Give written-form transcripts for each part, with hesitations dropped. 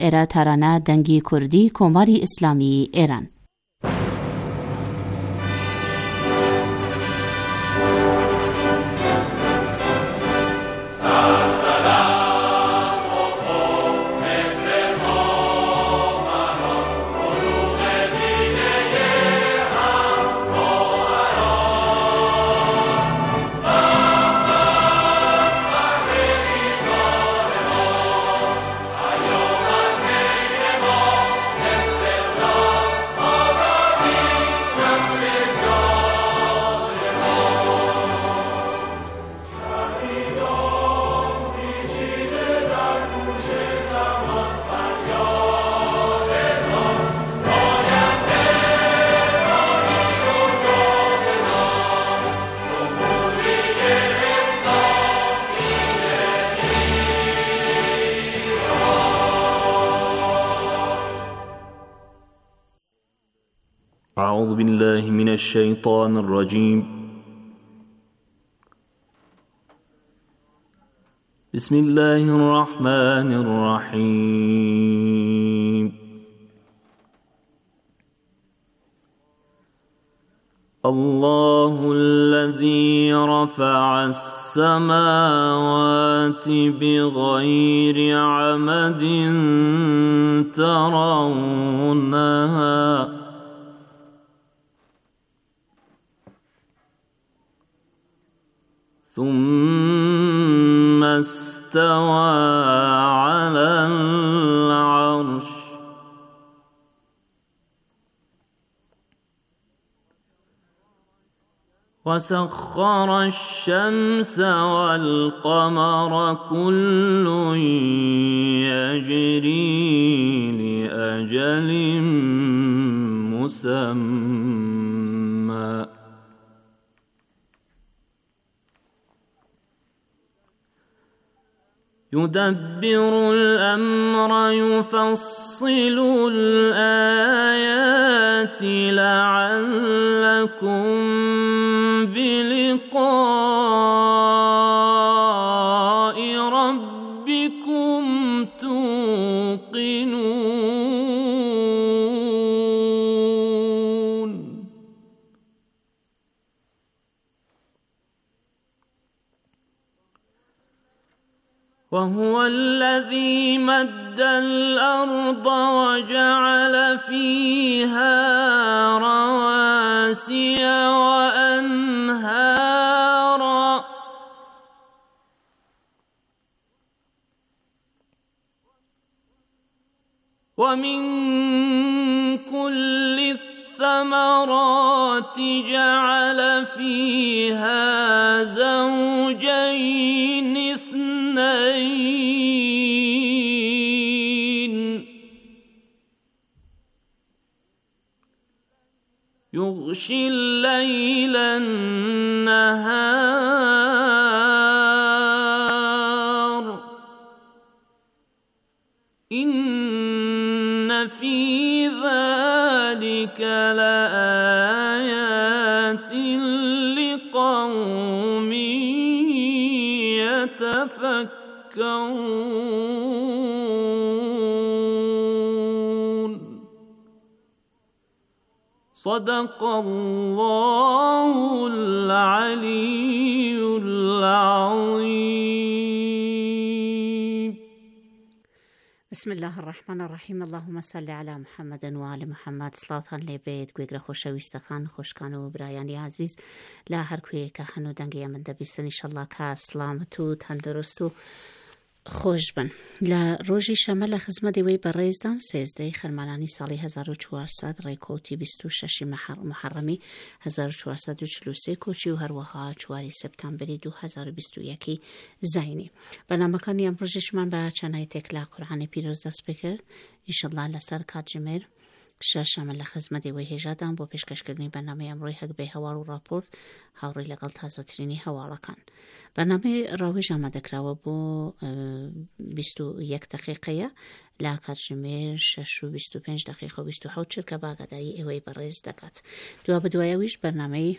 ئێرە تارانە دەنگی کوردی کۆماری ئیسلامی ئێران. أعوذ بالله من الشيطان الرجيم بسم الله الرحمن الرحيم الله الذي رفع السماوات بغير عمد ترونها ثم استوى على العرش وسخر الشمس والقمر كل يجري لأجل مسمى يدبر الأمر يفصل الآيات لعلكم بلقاء ربكم توقنون وهو الذي مد الأرض وجعل فيها رواسي وأنهارا ومن كل الثمرات جعل فيها زوجين اثنين يغشي الليل النهار إن في ذلك لآيات لقوم يتفكرون صدق الله العلي العظيم بسم الله الرحمن الرحیم اللهم صل علی محمد و آل محمد سڵاوتان لێبێت گوێگرە خۆشەویستەکان خۆشکان و برایانی ئازیز لە هەر کوێیەکە هەن و دەنگی ئەمن دەبیستن ئیشەڵڵا کە سڵامەت و تەندروست و خۆش بن. لە ڕۆژی شەمە لە خزمەت ئێوەی بەڕێزدام سێزدەی خەرمانانی ساڵی 1400 ڕێکەوتی 26 محەڕەمی 1443 کۆچی و هەروەها چواری سپتامبری 2021 زینی. بەرنامەکانی ئەمڕۆژیشمان بە چەند ئایەتێک لە قورئانی پیرۆز دەست پێکرد ئیشەڵڵا لەسەر کاتژمێر شەشەمە لە خزمەت ئێوەی هێژادام بۆ پێشکەشکردنی بەرنامەی ئەمڕۆی هەگبەی هەواڵ و ڕاپۆرت هاوڕێ لەگەڵ تازەترینی هەواڵەکان. بەرنامەی ڕاوێژ ئامادەکراوە بۆ 21 دقیقەیە لە کاتژمێر 6 و 25 دقیقە و 27 چرکە باگەداری ئێوەی بەڕێز دەکات. دوا بەدوایەویش بەرنامەی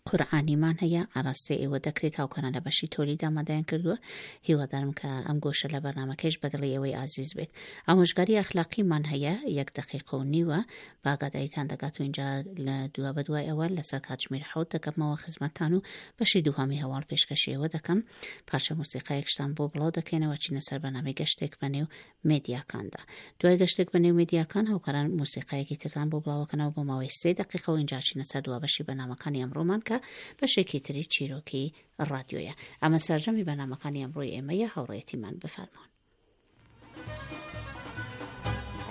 قورعانیمان هەیە ئاراستەی ئێوە دەکرێت هاوکاران لە بەشی تۆلید ئامادەیان کردووە هیوادارم کە ئەم گۆشە لە بەرنامەکەیش بەدڵی ئێوەی ئازیز بێت ئامۆژگاری ئەخلاقیمان هەیە یەک دەقیقە و نیوە بە ئاگاداریتان دەگات و اینجا لە دوا بەدوای ئەوە لەسەر کاتژمێر حەوت دەگەمەوە خزمەتتان و بەشی دووهەمی هەواڵ پێشکەشی ئێوە دەکەم پارچە مۆسیقایەکشتان بۆ بڵاو دەکەینەوە چینە سەر بەرنامەی گەشتێک بەنێو مێدیاکاندا. دوای گەشتێک بە نێو مێدیاکان، هاوکاران مۆسیقایەکی ترتان بۆ بڵاوەکەنەوە بۆ ماوەی سێ دەقیقە و ئینجا ئەچینە سەر دوا بەشی بەرنامەکانی ئەمڕۆمان کە بەشێکی تری چیرۆکی ڕادیۆیە. ئەمە سەرجەمی بەرنامەکانی ئەمڕۆی ئێمەیە، هاوڕێیەتیمان بفەرموون.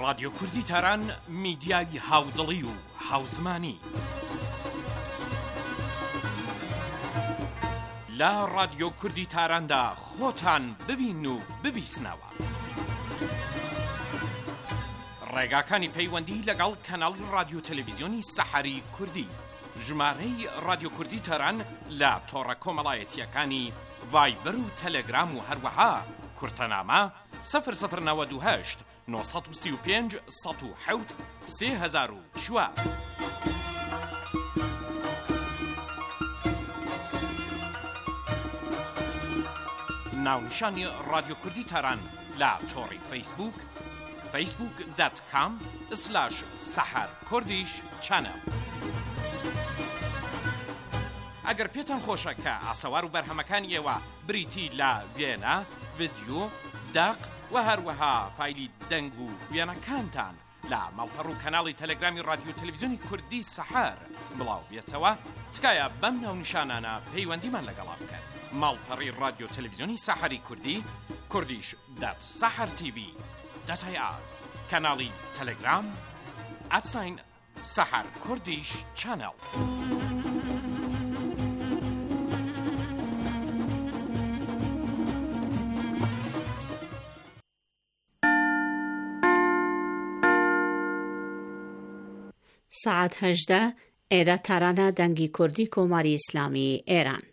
ڕادیۆ کوردی تاران میدیای هاودڵی و هاوزمانی. لە ڕادیۆ کوردی تاراندا خۆتان ببین و ببیسنەوە. ڕێگاکانی پەیوەندی لەگەڵ کەناڵی ڕادیۆ تەلەڤیزیۆنی سەحەری کوردی ژمارەی ڕادیۆ کوردی تاران لە تۆڕە کۆمەڵایەتییەکانی ڤایبەر و تەلەگرام و هەروەها کورتەنامە 0098 935 107 3004. ناونیشانی ڕادیۆ کوردی تاران لە تۆڕی فەیسبووک facebook.com slash سەحەر کوردیش چەنەڵ. ئەگەر پێتان خۆشە کە ئاسەوار و بەرهەمەکانی ئێوە بریتی لە وێنە، ڤیدیۆ، دەق و هەروەها فایلی دەنگ و وێنەکانتان لە ماڵپەڕ و کەناڵی تەلەگرامی ڕادیۆ تەلەڤیزیۆنی کوردی سەحەر بڵاو بێتەوە، تکایە بەم ناونیشانانە پەیوەندیمان لەگەڵا بکەن. ماڵپەڕی ڕادیۆ تەلەڤیزیۆنی سەحەری کوردی، کوردیش دات سەحەر تیڤی دات ئای ئار، کەناڵی تەلەگرام، at sign سەحەر کوردیش چەنەڵ. سەعات 18 ئێرە تارانە دەنگی کوردی کۆماری ئیسلامی ئێران.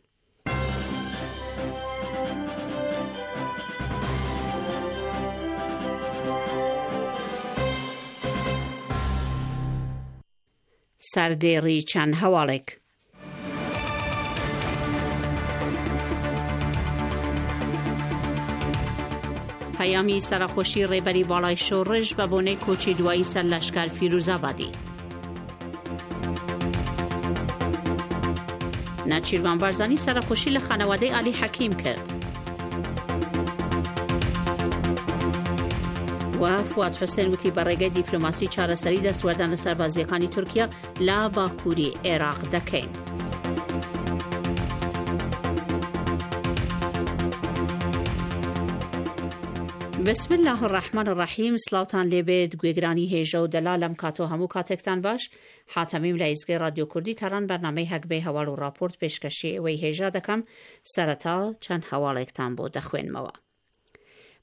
سەردێڕی چەند هەواڵێک. پەیامی سەرەخۆشی ڕێبەری باڵای شۆڕش بە بۆنەی کۆچی دوایی سەرلەشکر فیروزابادی. نەچیروان بارزانی سەرەخۆشی لە خانەوادەی عەلی حەکیم کرد. و فواد حوسێن وتی بە ڕێگەی دیپلۆماسی چارەسەری دەستوەردان لە سەربازیەکانی تورکیا لە باکووری عێراق دەکەین. بسم الله الرحمن الرحیم سلاوتان لێبێت گوێگرانی هێژە و دەلا لەم کاتۆ هەموو کاتێکتان باش حاتەمیم لە ئیزگەی ڕادیۆ کوردی تاران بەرنامەی هەگبەی هەواڵ و ڕاپۆرت پێشکەشی ئێوەی هێژا دەکەم سەرەتا چەند هەواڵێکتان بۆ دەخوێنمەوە.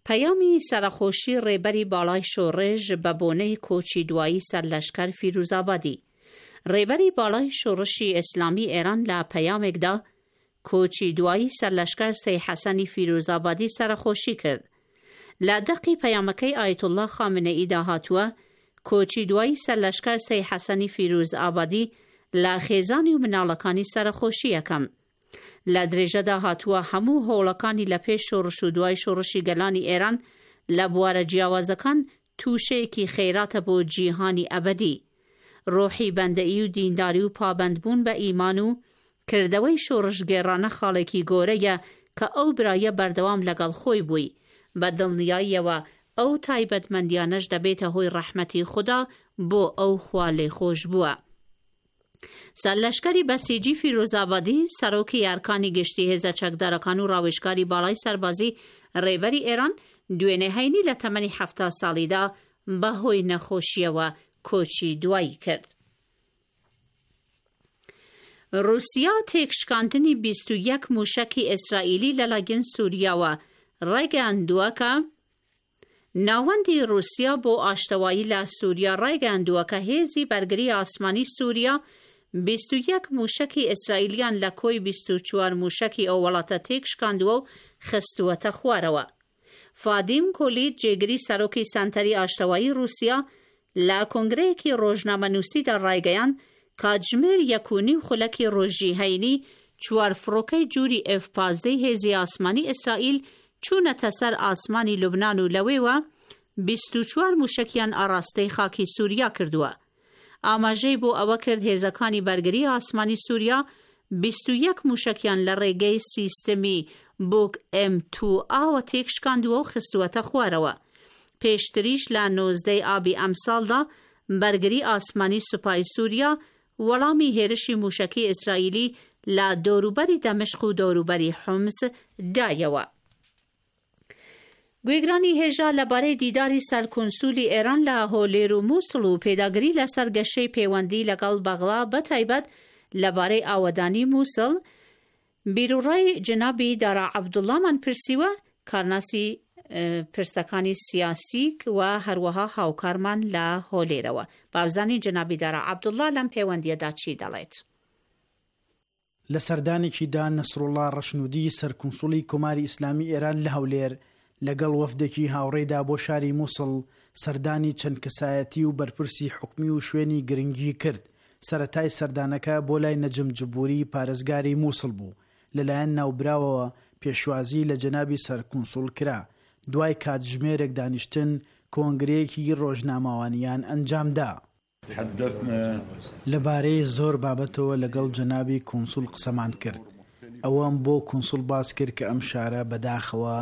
پەیامی سەرەخۆشی ڕێبەری باڵای شۆڕش بە بۆنەی کۆچی دوایی سەرلەشکەر فیروزابادی ڕێبەری باڵای شۆڕشی ئیسلامی ئێران لە پەیامێکدا کۆچی دوایی سەرلەشکەر سەی حەسەنی فیروزابادی سەرەخۆشی کرد. لە دەقی پەیامەکەی ئایەتوڵڵا خامنەییدا هاتووە، کۆچی دوایی سەرلەشکەر سەی حەسەنی فیروزئابادی لە خێزانی و مناڵەکانی سەرەخۆشی ئەکەم. لە درێژەدا هاتووە، هەموو هەوڵەکانی لە پێش شۆڕش و دوای شۆڕشی گەلانی ئێران لە بوارە جیاوازەکان تووشەیەکی خەیراتە بۆ جیهانی ئەبەدی. ڕۆحی بەندەیی و دینداری و پابەندبوون بە ئیمان و کردەوەی شۆڕشگێڕانە خاڵێکی گۆرەیە کە ئەو برایە بەردەوام لەگەڵ خۆی بووی، بە دڵنیاییەوە ئەو تایبەتمەندیانەش دەبێتە هۆی ڕەحمەتی خودا بۆ ئەو خوا لێخۆشبووە. سەرلەشکەری بەسیجی فیروزئابادی، سەرۆکی ئەرکانی گشتی هێزە چەکدارەکان و ڕاوێژکاری باڵای سەربازی ڕێبەری ئێران، دوێنێ هەینی لە تەمەنی 70 ساڵیدا بەهۆی نەخۆشییەوە کۆچی دوایی کرد. ڕووسیا تێکشکاندنی 21 مووشەکی ئیسرائیلی لەلایەن سووریاوە ڕایگەیاندووە کە ناوەندی ڕووسیا بۆ ئاشتەوایی لە سووریا ڕایگەیاندووە کە هێزی بەرگری ئاسمانی سووریا 21 مووشەکی ئیسرائیلیان لە کۆی 24 مووشەکی ئەو وڵاتە تێکشکاندووە و خستووەتە خوارەوە. فادیم کۆلیت جێگری سەرۆکی سەنتەری ئاشتەوایی ڕووسیا لە کۆنگرەیەکی ڕۆژنامەنووسیدا ڕایگەیاند کاتژمێر یەک و نیو خولەکی ڕۆژی هەینی چوار فڕۆکەی جوری ئێف پازدەی هێزی ئاسمانی ئیسرائیل چوونەتە سەر ئاسمانی لوبنان و لەوێوە 24 موشەکیان ئاڕاستەی خاکی سوریا کردووە. ئاماژەی بۆ ئەوە کرد هێزەکانی بەرگری ئاسمانی سوریا 21 موشەکیان لە ڕێگەی سیستمی بوک ئێم تو ئاوە تێکشکاندووە و خستووەتە خوارەوە. پێشتریش لە 19 ی ئابی ئەمساڵدا بەرگری ئاسمانی سوپای سوریا وەڵامی هێرشی موشەکی ئیسرائیلی لە دەوروبەری دەمشق و دەوروبەری حومس دایەوە. گوێگرانی هێژا لەبارەی دیداری سەرکونسولی ئێران لە هۆلێر و موسڵ و پێداگری لەسەر گەشەی پەیوەندی لەگەڵ بەغدا بەتایبەت لەبارەی ئاوەدانی موسڵ، بیروڕای جەنابی دارا عەبدوڵڵامان پرسیوە، کارناسی پرسەکانی سیاسی و هەروەها هاوکارمان لە هۆلێرەوە. با بزانین جەنابی دارا عەبدوڵڵا لەم پەیوەندییەدا چی دەڵێت. لە سەردانێکیدا نەسروڵڵا ڕەشنوودی سەرکونسوڵی کۆماری ئیسلامی ئێران لە هەولێر لەگەڵ وەفدێکی هاوڕێیدا بۆ شاری موسڵ سەردانی چەند کەسایەتی و بەرپرسی حکومی و شوێنی گرنگی کرد، سەرەتای سەردانەکە بۆ لای نەجم جبوری پارێزگاری موسڵ بوو، لەلایەن ناوبراوەوە پێشوازی لە جەنابی سەرکونسوڵ کرا، دوای کاتژمێرێک دانیشتن کۆنگرەیەکی ڕۆژنامەوانیان ئەنجامدا. لەبارەی زۆر بابەتەوە لەگەڵ جەنابی کونسوڵ قسەمان کرد. ئەوەم بۆ کونسوڵ باس کرد کە ئەم شارە بەداخەوە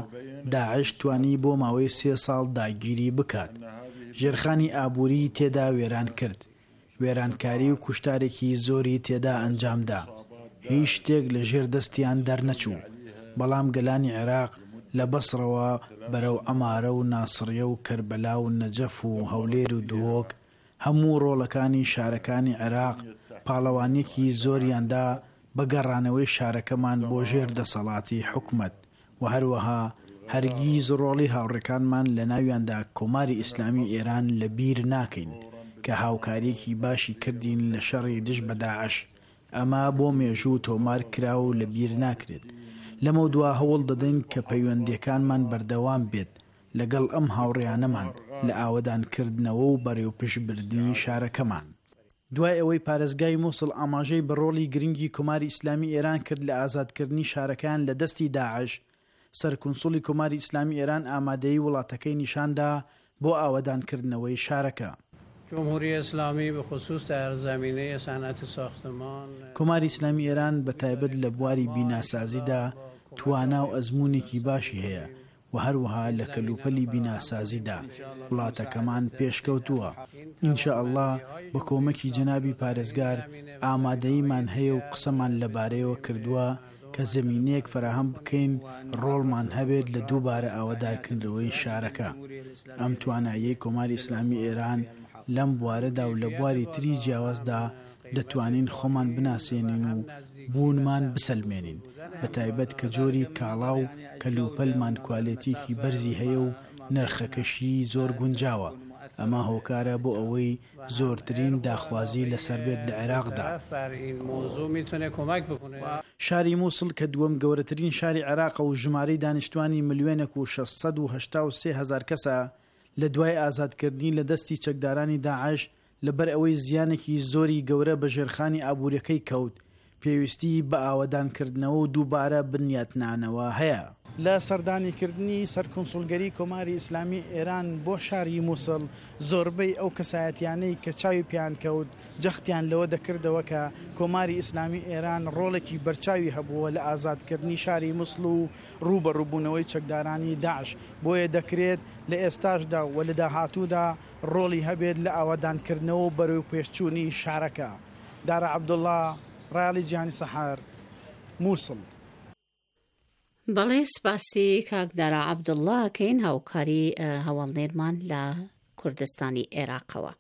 داعش توانی بۆ ماوەی سێ ساڵ داگیری بکات. ژێرخانی ئابووریی تێدا وێران کرد. وێرانکاری و کوشتارێکی زۆری تێدا ئەنجام دا. هیچ شتێک لە ژێر دەستیان دەرنەچوو. بەڵام گەلانی عێراق لە بەسڕەوە بەرەو عەمارە و ناسڕیە و کەربەلا و نەجەف و هەولێر و دهۆک هەموو ڕۆڵەکانی شارەکانی عێراق پاڵەوانیەکی زۆریان دا بە گەڕانەوەی شارەکەمان بۆ ژێر دەسەڵاتی حکومەت و هەروەها هەرگیز ڕۆڵی هاوڕێکانمان لە ناویاندا کۆماری ئیسلامی ئێران لە بیر ناکەین کە هاوکاریەکی باشی کردین لە شەڕی دژ بە داعش ئەمە بۆ مێژوو تۆمار کرا و لە بیر ناکرێت لەمەودوا هەوڵ دەدەین کە پەیوەندیەکانمان بەردەوام بێت لەگەڵ ئەم هاوڕێیانەمان لە ئاوەدانکردنەوە و بەرەوپشبردنی شارەکەمان. دوای ئەوەی پارێزگای موسڵ ئاماژەی بە ڕۆڵی گرنگی کۆماری ئیسلامی ئێران کرد لە ئازادکردنی شارەکەیان لە دەستی داعش، سەرکونسوڵی کۆماری ئیسلامی ئێران ئامادەیی وڵاتەکەی نیشاندا بۆ ئاوەدانکردنەوەی شارەکە. جمهوری اسلامی به خصوص در زمینه صنعت ساختمان. کۆماری ئیسلامی ئێران بە تایبەت لە بواری بیناسازیدا توانا و ئەزموونێکی باشی هەیە و هەروەها لە کەلوپەلی بیناسازیدا وڵاتەکەمان پێشکەوتووە، ان شاء اللە بە کۆمەکی جەنابی پارێزگار ئامادەییمان هەیە و قسەمان لەبارەیەوە کردووە کە زەمینەیەک فەراهەم بکەین ڕۆڵمان هەبێت لە دووبارە ئاوەدارکردنەوەی شارەکە. ئەم تواناییەی کۆماری ئیسلامی ئێران لەم بوارەدا و لە بواری تری جیاوازدا دەتوانین خۆمان بناسێنین و بوونمان بسەلمێنین، بەتایبەت کە جۆری کاڵا و کەلوپەلمان کوالێتییەکی بەرزی هەیە و نرخەکەشی زۆر گونجاوە، ئەمە هۆکارە بۆ ئەوەی زۆرترین داخوازی لەسەر بێت لە عێراقدا. شاری موسڵ کە دووەم گەورەترین شاری عێراقە و ژمارەی دانیشتوانی ملیۆنێک و 683 هەزار کەسە، لە دوای ئازادکردنی لە دەستی چەکدارانی داعش لەبەر ئەوەی زیانێکی زۆری گەورە بە ژێرخانی ئابووریەکەی کەوت، پێویستیی بە ئاوەدانکردنەوە و دووبارە بنیاتنانەوە هەیە. لە سەردانیکردنی سەرکونسوڵگەری کۆماری ئیسلامی ئێران بۆ شاری موسڵ، زۆربەی ئەو کەسایەتیانەی کە چاوی پێیان کەوت، جەختیان لەوە دەکردەوە کە کۆماری ئیسلامی ئێران ڕۆڵێکی بەرچاوی هەبووە لە ئازادکردنی شاری موسڵ و ڕووبەڕووبوونەوەی چەکدارانی داعش، بۆیە دەکرێت لە ئێستاشدا و لە داهاتوودا ڕۆڵی هەبێت لە ئاوەدانکردنەوە و بەرەوپێشچوونی شارەکە. دارا عەبدوڵا، ڕایەڵی جیهانی سەحەر، موسڵ. بەڵێ سپاسی کاک دارا عەبدوڵا ئەکەین هاوکاری هەواڵنێرمان لە کوردستانی عێراقەوە.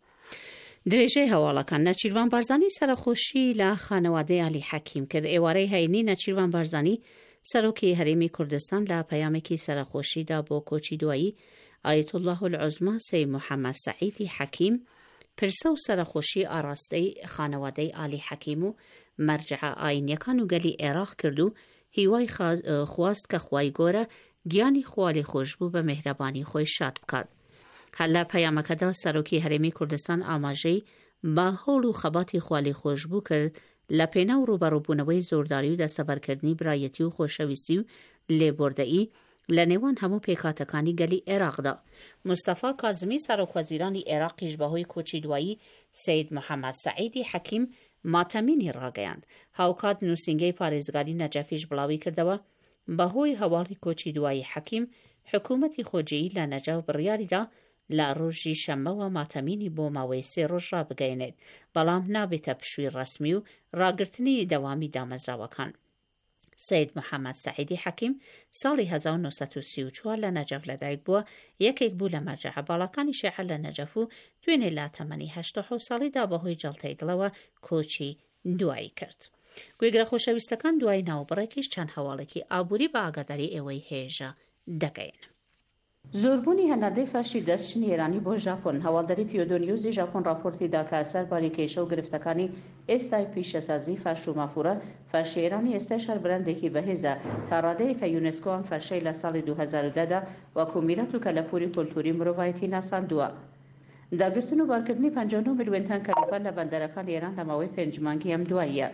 درێژەی هەواڵەکان نەچیرڤان بارزانی سەرەخۆشی لە خانەوادەی عەلی حەکیم کرد ئێوارەی هەینی نەچیرڤان بارزانی سەرۆکی هەرێمی کوردستان لە پەیامێکی سەرەخۆشیدا بۆ کۆچی دوایی ئایەتوڵڵاه العوزما سەی محەممەد سەعیدی حەکیم پرسە و سەرەخۆشی ئاڕاستەی خانەوادەی ئالی حەکیم و مەرجەعە ئاینیەکان و گەلی عێراق کرد و هیوای خواست کە خوای گۆرە گیانی خوالێخۆشبوو بە مێهرەبانی خۆی شاد بکات. هەر لە پەیامەکەدا سەرۆکی هەرێمی کوردستان ئاماژەی. بە هەوڵ و خەباتی خوالێخۆشبوو کرد لە پێناو ڕووبەڕووبوونەوەی زۆرداری و دەستەبەرکردنی برایەتی و خۆشەویستی و لێبوردەیی لە نێوان هەموو پێکهاتەکانی گەلی عێراقدا. مستەفا کازمی سەرۆکوەزیرانی عێراقیش بەهۆی کۆچی دوایی سەید محەمەد سەعیدی حەکیم ماتەمینی ڕاگەیاند. هاوکات نووسینگەی پارێزگاری نەجەفیش بڵاویکردەوە، بەهۆی هەواڵی کۆچی دوایی حەکیم، حکوومەتی خۆجێیی لە نەجەف بڕیاریدا لە ڕۆژی شەممەوە ماتەمینی بۆ ماوەی سێ ڕۆژ ڕابگەیەنێت، بەڵام نابێتە پشووی ڕەسمی و ڕاگرتنی دەوامی دامەزراوەکان. سەید محەمەد سەعیدی حەکیم ساڵی 1934 لە نەجەف لەدایک بووە، یەکێک بوو لە مەرجەعە باڵاکانی شیعە لە نەجەف و دوێنێ لە تەمەنی 87 ساڵیدا بەهۆی جەڵتەی دڵەوە کۆچی دوایی کرد. گوێگرە خۆشەویستەکان دوای ناوبڕێکیش چەند هەواڵێکی ئابووری بە ئاگاداری ئێوەی هێژا دەگەیەنم. زۆربوونی هەناردەی فەرشی دەستچنی ئێرانی بۆ ژاپۆن، هەواڵدەری کیۆدۆ نیوزی ژاپۆن ڕاپۆرتی دا کە سەرباری کێشە و گرفتەکانی ئێستای پیشەسازیی فەرش و مافوورە، فەرشی ئێرانی ئێستایش هەر برەندێکی بەهێزە تا ڕادەیەک کە یونسکۆ ئەم فەرشەی لە ساڵی 2010 دا وەکوو میرات و کەلەپووری کولتووری مرۆڤایەتی ناساندووە. داگرتن و بارکردنی 59 ملیۆن تەن کەلوپەل لە بەندەرەکانی ئێران لە ماوەی پێنج مانگی ئەم دواییە.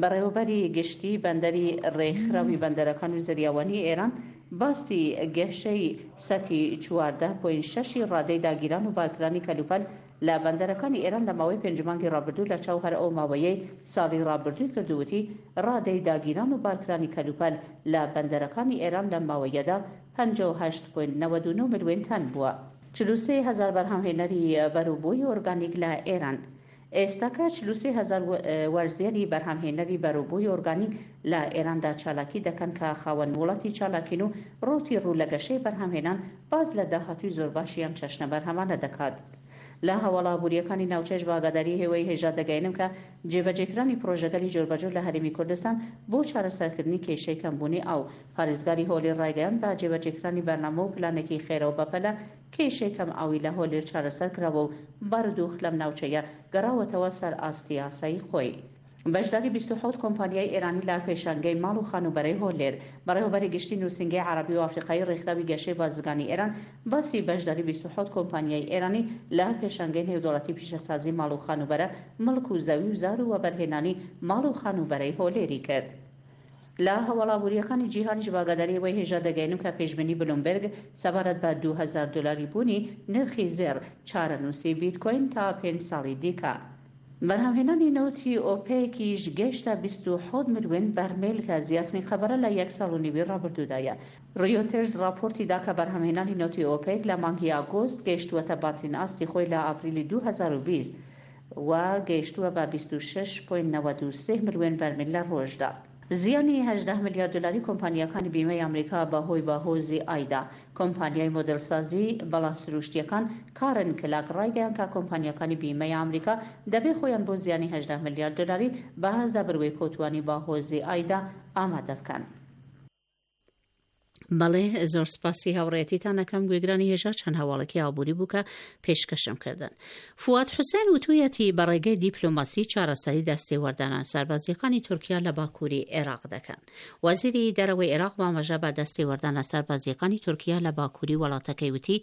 بەڕێوەبەری گشتیی بەندەری ڕێکخراوی بەندەرەکان و زەریاوانیی ئێران باسی گهشەی سەتی 14 پۆین شەشی ڕادەی داگیران و بارکرانی کەلوپەل لە بەندەرەکانی ئێران لە ماوەی پێنج مانگی ڕابردوو لە چاو هەر ئەو ماوەیەی ساڵی ڕابردووی کرد و وتی ڕادەی داگیران و بارکرانی کەلوپەل لە بەندەرەکانی ئێران لەم ماوەیەدا 58 پۆینت 99 ملوێن تەن بووە. 43 هەزار بەرهەمهێنەری بەروبووی ئۆرگانیک لە ئێران ئێستاکە 43 هەزار وەرزێری بەرهەمهێنەری بەروبووی ئۆرگانیک لە ئێراندا چالاکی دەکەن کە خاوەن مۆڵەتی چالاکین و ڕەوتی ڕوو لە گەشەی بەرهەمهێنان باس لە داهاتووی زۆر باشی ئەم چەشنە بەرهەمانە دەکات. لە هەواڵە ئابوورییەکانی ناوچەش بە ئاگاداری ئێوەی هێژا دەگەیەنم کە جێبەجێکرانی پڕۆژەگەلی جۆربەجۆر لە هەرێمی کوردستان بۆ چارەسەرکردنی کێشەی کەمبوونی ئاو، پارێزگاری هۆلێر ڕایگەیاند بە جێبەجێکرانی بەرنامە و پلانێکی خێرا و بەپەلە کێشەی کەم ئاوی لە هۆلێر چارەسەر کراوە و بارودوخ لەم ناوچەیە گەڕاوەتەوە سەر ئاستی ئاسایی خۆی. بەشداری 27 کۆمپانیای ئێرانی لە پێشانگەی ماڵ و خانووبەرەی هۆلێر. بەڕێوەبەری گشتی نووسینگەی عەڕەبی و ئافریقایی ڕێکخراوی گەشەی بازرگانی ئێران باسی بەشداری 27 کۆمپانیای ئێرانی لە پێشانگەی نێودەوڵەتی پیشەسازی ماڵ و خانووبەرە، مڵک و زەوی و زار و وەبەرهێنانی ماڵ و خانووبەرەی هۆلێری کرد. لە هەواڵە ئابوورییەکانی جیهانیش بە ئاگاداری ئێوەی هێژا دەگەیەنم کە پێشبینی بلومبێرگ سەبارەت بە 2000 دۆلاری بوونی نرخی زێڕ، چارەنووسی بیتکۆین تا پێنج ساڵی دیکە. بەرهەمهێنانی نەوتی ئۆپێکیش گەیشتە 27 ملیۆن بەرمیل کە زیاترین قەبارە لە یەک ساڵ و نیوی ڕابردوودایە. ڕیۆتێرز ڕاپۆرتی دا کە بەرهەمهێنانی نەوتی ئۆپێک لە مانگی ئاگۆست گەیشتووەتە بانترین ئاستی خۆی لە ئاپریلی 2020 و گەیشتووە بە 26 پۆینت 93 ملیۆن بەرمیل لە ڕۆژدا. زیانی 18 ملیار دۆلاری کۆمپانیاکانی بیمەی ئەمریکا بەهۆی باهۆزی ئایدا. کۆمپانیای مۆدێلسازی بەڵا سروشتییەکان کارن کلاک ڕایگەیاند کە کۆمپانیاکانی بیمەی ئەمریکا دەبێ خۆیان بۆ زیانی 18 ملیار دۆلاری بە زەبروێکەوتووانی باهۆزی ئایدا ئامادە بکەن. بەڵێ زۆر سپاسی هاوڕێیەتیتان ئەکەم گوێگرانی هێژا چەند هەواڵێکی ئابووری بوو کە پێشکەشم کردن. فواد حوسێن وتوویەتی بە ڕێگەی دیپلۆماسی چارەسەری دەستێوەردانە سەربازییەکانی تورکیا لە باکووری عێراق دەکەن. وەزیری دەرەوەی عێراق بە ئاماژە بە دەستێوەردانە سەربازییەکانی تورکیا لە باکووری وڵاتەکەی وتی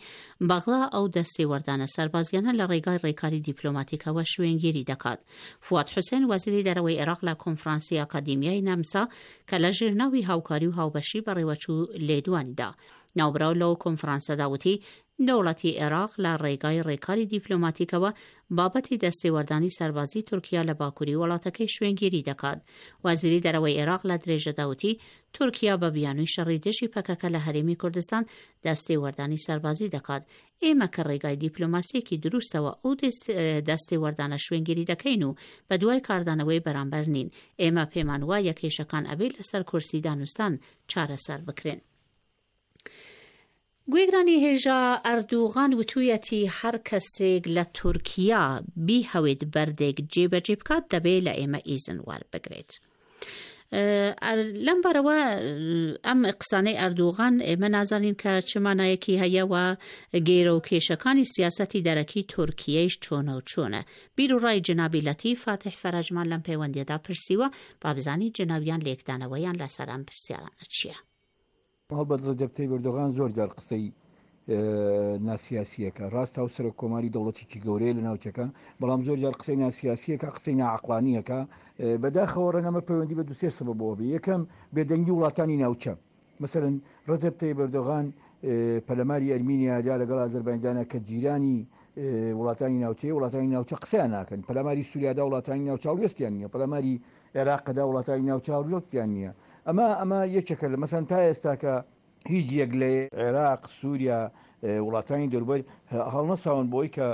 بەغدا ئەو دەستێوەردانە سەربازیانە لە ڕێگای ڕێکاری دیپلۆماتیکەوە شوێنگیری دەکات. فواد حوسێن وەزیری دەرەوەی عێراق لە کۆنفرانسی ئاکادیمیای نەمسا کە لە ژێر ناوی هاوکاری و هاوبەشی بەڕێوەچوو لێدوانی دا. ناوبراو لەو کۆنفرانسەدا وتی، دەوڵەتی عێراق لە ڕێگای ڕێکاری دیپلۆماتیکەوە بابەتی دەستێوەردانی سەربازی تورکیا لە باکووری وڵاتەکەی شوێنگیری دەکات. وەزیری دەرەوەی عێراق لە درێژەدا وتی، تورکیا بە بیانووی شەڕی دژی پەکەکە لە هەرێمی کوردستان دەستێوەردانی سەربازی دەکات. ئێمە کە ڕێگای دیپلۆماسییەکی دروستەوە ئەو دەستێوەردانە شوێنگیری دەکەین و بەدوای کاردانەوەی بەرامبەر نین. ئێمە پێمان وایە کێشەکان ئەبێ لەسەر کورسی دانوستان چارەسەر بکرێن. گوێگرانی هێژا ئەردوغان وتوویەتی هەر کەسێک لە تورکیا بیهەوێت بەردێک جێبەجێ بکات دەبێ لە ئێمە ئیزن وەربگرێت. لەم بارەوە ئەم قسانەی ئەردوغان ئێمە نازانین کە چ مانایەکی هەیە و گێرە و کێشەکانی سیاسەتی دەرەکی تورکیەیش چۆنە و چۆنە. بیر و ڕای جەنابی لەتیف فاتیح فەرەجمان لەم پەیوەندیەدا پرسیوە با بزانین جەنابیان لێکدانەوەیان لەسەر ئەم پرسیارانە چیە؟ هەڵبەت ڕەجەب تەیب ئەردۆغان زۆر جار قسەی. ناسیاسیەکە ڕاستە و سەرۆک کۆماری دەوڵەتێکی گەورەیە لە ناوچەکە بەڵام زۆر جار قسەی ناسیاسیەکە قسەی ناعقلانیەکە بەداخەوە ڕەنگەمە پەیوەندی بە دوسێ سەبەبەوە بێ یەکەم بێدەنگی وڵاتانی ناوچە مەسەلەن ڕەجەب تەیب ئەردۆغان پەلەماری ئەرمینیا دا لەگەڵ ئازەربایجانە کە جیرانی وڵاتانی ناوچەیە، وڵاتانی ناوچە قسەیان ناکەن، پەلاماری سووریا دا وڵاتانی ناوچە هەڵوێستیان نییە، پەلاماری عێراق دا وڵاتانی ناوچە هەڵوێستیان نییە. ئەمە ئەمە یەکێکە لە مەسەن تا ئێستاکە هیچ یەک لە عێراق، سووریا، وڵاتانی دەوروبەر هەڵنەساون بۆی کە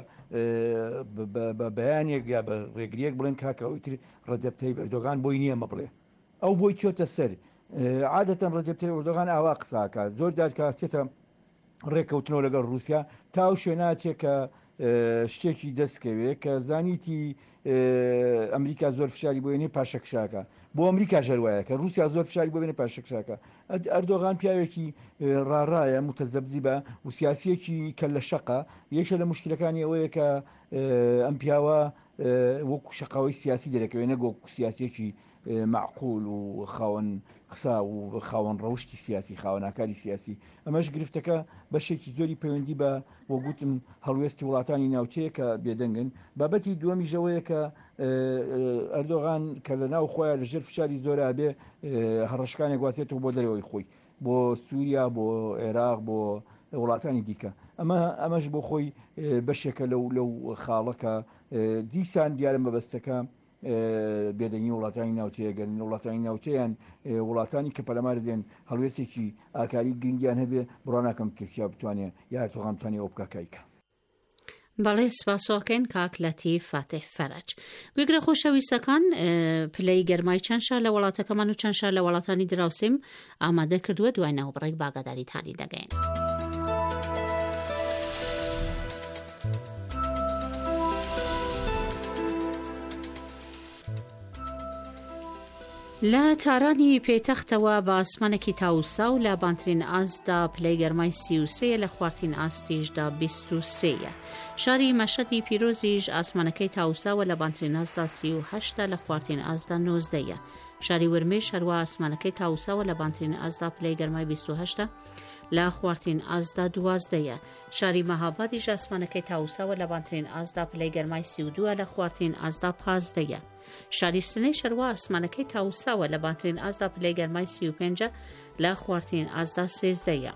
بە بەیانێک یا بە ڕێگریەک بڵێن کاکە ئەوی تر ڕەجەب تەیب ئەردۆغان بۆی نییە مە بڵێ. ئەو بۆی چۆتە سەر. عادەتەن ڕەجەب تەیب ئەردۆغان ئاوا قسە ئەکات. زۆر جار کە ئەچێتە ڕێککەوتنەوە لەگەڵ ڕووسیا تا ئەو شوێنە ئەچێ کە شتێکی دەست کەوێ کە زانیتی ئەمریکا زۆر فشاری بۆ ێنێ پاشەکشاکە. بۆ ئەمریکاش هەر وایە کە ڕووسیا زۆر فشاری بۆ بێنێ پاشەکشاکە. ئەردۆغان پیاوێکی ڕاڕایە، متەزەبزیبە و سیاسییەکی کەللە شەقە. یەکێ لە موشکیلەکانی ئەوەیە کە ئەم پیاوە وەکو شەقاوەی سیاسی دەرەکەوێ نەک وەکو سیاسیەکی مەعقول و خاوەن قسە و خاوەن ڕەوشتی سیاسی، خاوەن ئاکاری سیاسی. ئەمەش گرفتەکە بەشێکی زۆری پەیوەندی بە وەک وتم هەڵوێستی وڵاتانی ناوچەیە کە بێدەنگن. بابەتی دووەمیش ئەوەیە کە ئەردۆغان کە لە ناو خۆیان لە ژێر فشاری زۆرا بێ هەڕەشەکانی گوازێتەوە بۆ دەرەوەی خۆی، بۆ سووریا، بۆ عێراق، بۆ وڵاتانی دیکە. ئەمە ئەمەش بۆ خۆی بەشێکە لەو لەو خاڵە کە دیسان دیارە مەبەستەکە بێدەنگی وڵاتانی ناوچەیە گەر وڵاتانی ناوچەیان وڵاتانی کە پەلامار دێن هەڵوێستێکی ئاکاری گرنگیان هەبێ بڕوا ناکەم تورکیا بتوانێ یا ئەردۆغان بتوانێ ئەوە بکا کایکا. بەڵێ سپاسۆکەین کاک لەتیف فاتح فەرەج. گوێگرە خۆشەویستەکان پلەی گەرمای چەند شار لە وڵاتەکەمان و چەند شار لە وڵاتانی دراوسێم ئامادە کردووە دوای ناوبڕێک باگاداریتانی دەگەین. لە تارانی پێتەختەوە بە ئاسمانێکی تاوساو لە بانترین ئاستدا پلەی گەرمای 33 لە خوارترین ئاستیشدا 23یە. شاری مەشەدی پیرۆزیش ئاسمانەکەی تاوساوە لە بانترین ئاستدا 38 لە خوارترین ئاستدا 19یە. شاری ورمێش هەروا ئاسمانەکەی تاوساوە لە بانترین ئاستدا پلەی گەرمای 28 لە خوارترین ئاستدا 12یە. شاری مەهابادیش ئاسمانەکەی تاوساوە لە بانترین ئاستدا پلەی گەرمای 32 لە خوارترین ئاستدا 15یە. شاری سنەی شەروا ئاسمانەکەی تاوساوە لە بانترین ئاستدا پلەی گەرمای 35 لە خوارترین ئاستدا 13یە.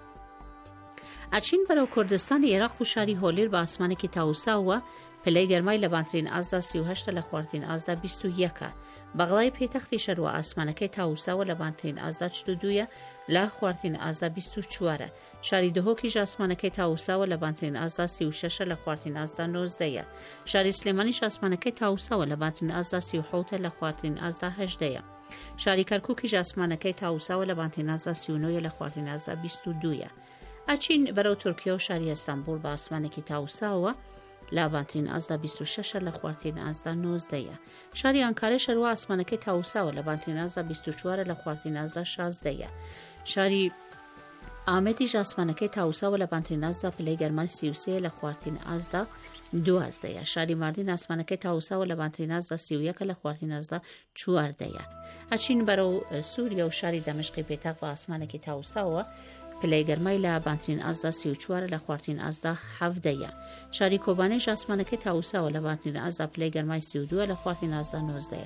ئەچین بەرەو کوردستانی عێراق و شاری هۆلیر بە ئاسمانێکی تاوساوە پلەی گەرمای لە بانترین ئاستدا 38 لە خوارترین ئاستدا 21 بەغدای پێتەختی شەروە ئاسمانەکەی تاوساوە لە بانترین ئاستدا 42 لە خوارترین ئاستدا 24 شاری دهۆکیش ئاسمانەکەی تاوساوە لە بانترین ئاستدا 36 لە خوارترین ئاستدا 19 یە. شاری سلێمانیش ئاسمانەکەی تاوساوە لە بانترین ئاستدا 37 لە خوارترین ئاستدا 18 یە. شاری کەرکوکیش ئاسمانەکەی تاوساوە لە بانترین ئاستدا 39 لە خوارترین ئاستدا 22 یە. ئەچین بەرەو تورکیا و شاری ئەستانبوڵ بە ئاسمانێکی تاوساوە لە بانترین ئاستدا 26 لە خوارترین ئاستدا 19 یە. شاری ئانکارەش هەروا ئاسمانەکەی تاوساوە لە بانترین ئاستدا 24 لە خوارترین ئاستدا 16 یە. شاری ئامێدیش ئاسمانەکەی تاوساوە لە بانترین ئاستدا پلەی گەرمای 33 لە خوارترین ئاستدا دوازدەیە شاری ماردین ئاسمانەکەی تاوساوە لە بانترین ئاستدا 31 لە خوارترین ئاستدا چواردەیە ئەچین بەرەو سووریا و شاری دەمشقی پێتاق بە ئاسمانێکی تاوساوە پلەی گەرمای لە بانترین ئاستدا 34 لە خوارترین ئاستدا حەڤدەیە شاری کۆبانێش ئاسمانەکەی تاوساوە لە بانترین ئاستدا پلەی گەرمای 32 لە خوارترین ئاستدا 19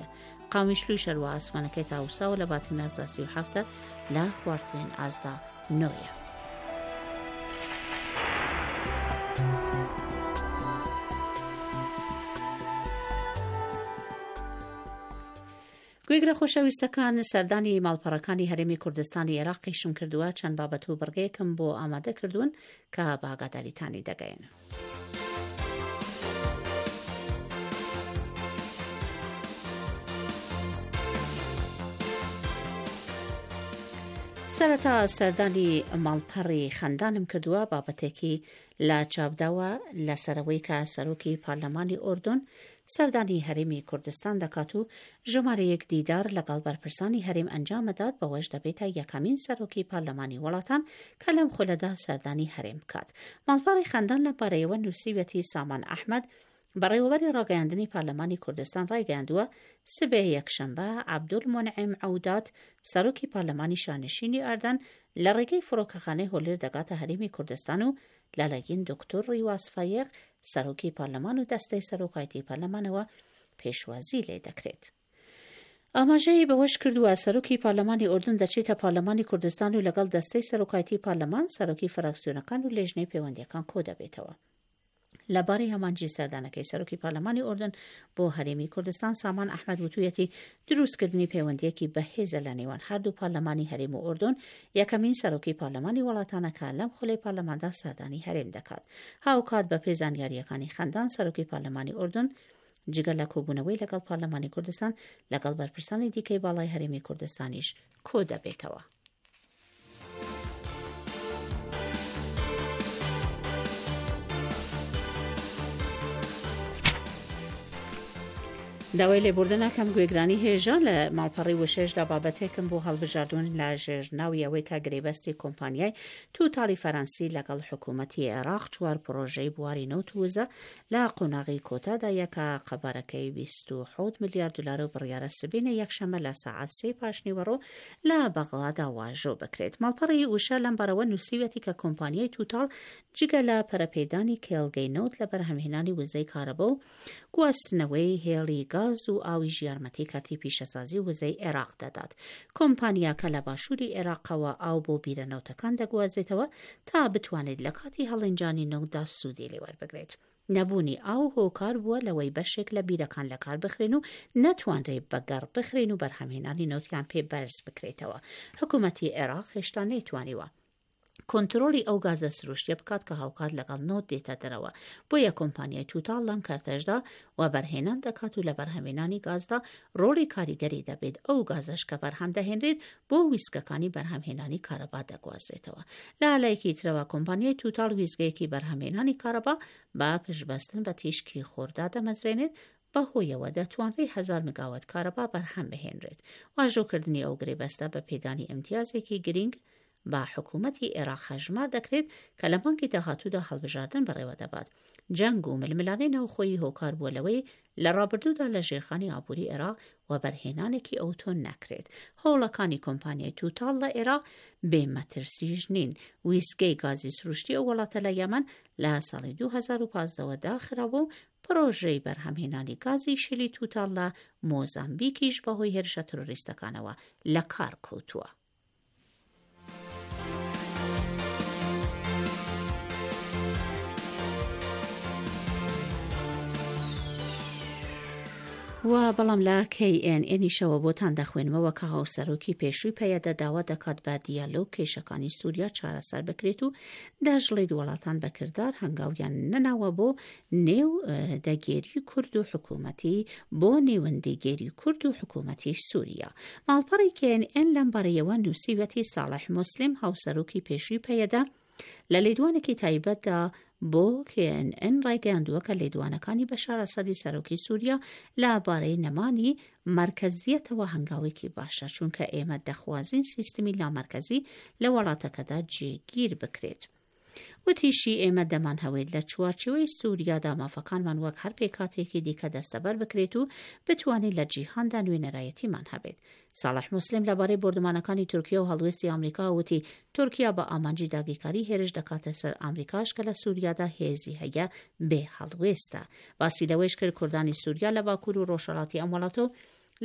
قامیشلوی شەروە ئاسمانەکەی تاوساوە لە باترین ئاستدا 37 لە خوارترین ئاستدا نۆیە. گوێگرە خۆشەویستەکان سەردانی ماڵپەڕەکانی هەرێمی کوردستانی عێراقیشم کردووە چەند بابەت و بڕگەیەکم بۆ ئامادە کردوون کە بە ئاگاداریتانی دەگەین. سەرەتا سەردانی ماڵپەڕی خەندانم کردووە بابەتێکی لە چاپداوە لەسەرەوەی کە سەرۆکی پەرلەمانی ئۆردۆن سەردانی هەرێمی کوردستان دەکات و ژمارەیەک دیدار لەگەڵ بەرپرسانی هەرێم ئەنجامەدات بەوەش دەبێتە یەکەمین سەرۆکی پەرلەمانی وڵاتان کە لەم خولەدا سەردانی هەرێم بکات. ماڵپەڕی خەندان لەم بارەیەوە نووسیویەتی سامان ئەحمەد، بەڕێوەبەری ڕاگەیاندنی پەرلەمانی کوردستان ڕایگەیاندووە، سبەی یەکشەمبە عەبدولمونعیم عەودات، سەرۆکی پەرلەمانی شانشینی ئەردەن لە ڕێگەی فڕۆکەخانەی هۆلێر دەگاتە هەرێمی کوردستان و لەلایەن دکتۆر ڕیواز فایەق، سەرۆکی پەرلەمان و دەستەی سەرۆکایەتی پەرلەمانەوە پێشوازی لێ دەکرێت. ئاماژەی بەوەشکردووە، سەرۆکی پەرلەمانی ئوردن دەچێتە پەرلەمانی کوردستان و لەگەڵ دەستەی سەرۆکایەتی پەرلەمان، سەرۆکی فراکسیۆنەکان و لێژنەی پەیوەندییەکان کۆدەبێتەوە. لە بارەی ئامانجی سەردانەکەی سەرۆکی پەرلەمانی ئوردن بۆ هەرێمی کوردستان سامان ئەحمەد وتویەتی دروستکردنی پەیوەندیەکی بەهێزە لە نێوان هەردوو پەرلەمانی هەرێم و ئوردن یەکەمین سەرۆکی پەرلەمانی وڵاتانە کە لەم خولەی پەرلەماندا سەردانی هەرێم دەکات هاوکات بەپێی زانیارییەکانی خەندان سەرۆکی پەرلەمانی ئوردن جگە لە کۆبوونەوەی لەگەڵ پەرلەمانی کوردستان لەگەڵ بەرپرسانی دیکەی باڵای هەرێمی کوردستانیش کۆدەبێتەوە. داوای لێبوردن ئەکەم گوێگرانی هێژا لە ماڵپەڕی وشەشدا بابەتێکم بۆ هەڵبژاردوون لە ژێر ناوی ئەوەی کە گرێبەستی کۆمپانیای توتاڵی فەرەنسی لەگەڵ حکوومەتی عێراق چوار پڕۆژەی بواری نەوت و وزە لە قۆناغی کۆتادایە کە قەبارەکەی 27 ملیار دلارە و بڕیارە سبەینێ یەکشەممە لە سەعات سێ پاشنیوەڕۆ لە بەغدادا واژۆ بکرێت. ماڵپەڕی وشە لەم بارەوە نووسیویەتی کە کۆمپانیای توتاڵ جگە لە پەرەپێدانی کێڵگەی نەوت لە بەرهەمهێنانی وزەی کارەبا و گواستنەوەی هێڵی گاز و ئاویش یارمەتی کەرتی پیشەسازی و وزەی عێراق دەدات. کۆمپانیاکە لە باشووری عێراقەوە ئاو بۆ بیرە نەوتەکان دەگوازێتەوە تا بتوانێت لە کاتی هەڵێنجانی نەوتدا سوودی لێ وەربگرێت. نەبوونی ئاو هۆکار بووە لەوەی بەشێک لە بیرەکان لەکار بخرێن و نەتوانرێ بەگەڕ بخرێن و بەرهەمهێنانی نەوتیان پێ بەرز بکرێتەوە. حکوومەتی عێراق هێشتا نەیتوانیوە کۆنترۆڵی ئەو گازە سروشتیە بکات کە هاوکات لەگەڵ نەوت دێتە دەرەوە، بۆیە کۆمپانیای توتاڵ لەم کەرتەشدا وەبەرهێنان دەکات و لە بەرهەمێنانی گازدا ڕۆڵی کاریگەری دەبێت، ئەو گازەش کە بەرهەم دەهێنرێت بۆ ویستگەکانی بەرهەمهێنانی کارەبا دەگوازرێتەوە. لە لایەکی ترەوە کۆمپانیای توتاڵ ویستگەیەکی بەرهەمهێنانی کارەبا بە پشتبەستن بە تیشکی خۆر دادەمەزرێنێت، بەهۆیەوە دەتوانرێ هەزار مگاوات کارەبا بەرهەم بهێنرێت. واژۆکردنی ئەو گرێبەستە بە پێدانی ئیمتیازێکی گرینگ بە حکوومەتی عێراق هەژمار دەکرێت کە لە مانگی داهاتوودا هەڵبژاردن بەڕێوەدەبات. جەنگ و ململانێ ناوخۆیی هۆکار بووە لەوەی لە ڕابردوودا لە ژێرخانی ئابووری عێراق وەبەرهێنانێکی ئەوتۆ نەکرێت. هەوڵەکانی کۆمپانیای توتاڵ لە عێراق بێ مەترسیش نین. ویستگەی گازی سروشتی ئەو وڵاتە لە یەمەن لە ساڵی 2015 وە داخرابوو و پڕۆژەی بەرهەمهێنانی گازی شلی توتاڵ لە مۆزامبیکیش بەهۆی هێرشە ترۆریستەکانەوە لەکار کەوتووە. و بەڵام لە کەی ئێن ئێنیشەوە بۆتان دەخوێنمەوە کە هاوسەرۆکی پێشووی پەیەدە داوا دەکات بە دیالۆگ کێشەکانی سووریا چارەسەر بکرێت و دەشڵێت وڵاتان بە کردار هەنگاویان نەناوە بۆ نێو دەگێری کورد و حکوومەتی بۆ نێوەندیگێری کورد و حکوومەتی سووریا. ماڵپەڕی کێ ئێن ئێن لەم بارەیەوە نووسیویەتی ساڵح موسلیم هاوسەرۆکی پێشووی پەیەدە لە لێدوانێکی تایبەتدا بۆ کێ ئێن ئێن ڕایگەیاندووە کە لێدوانەکانی بەشار ئەسەدی سەرۆکی سووریا لە بارەی نەمانی مەرکەزییەتەوە هەنگاوێکی باشە چونکە ئێمە دەخوازین سیستمی لامەرکەزی لە وڵاتەکەدا جێگیر بکرێت. وتیشی، ئێمە دەمانهەوێت لە چوارچێوەی سووریادا مافەکانمان وەک هەر پێکهاتەیەکی دیکە دەستەبەر بکرێت و بتوانین لە جیهاندا نوێنەرایەتیمان هەبێت. ساڵح موسلیم لەبارەی بۆردومانەکانی تورکیا و هەڵوێستی ئامریکا وتی، تورکیا بە ئامانجی داگیرکاری هێرش دەکاتە سەر ئامریکاش کە لە سووریادا هێزی هەیە بێ هەڵوێستە. باسی لەوەیش کرد کوردانی سووریا لە باکوور و ڕۆژهەڵاتی ئەم وڵاتە و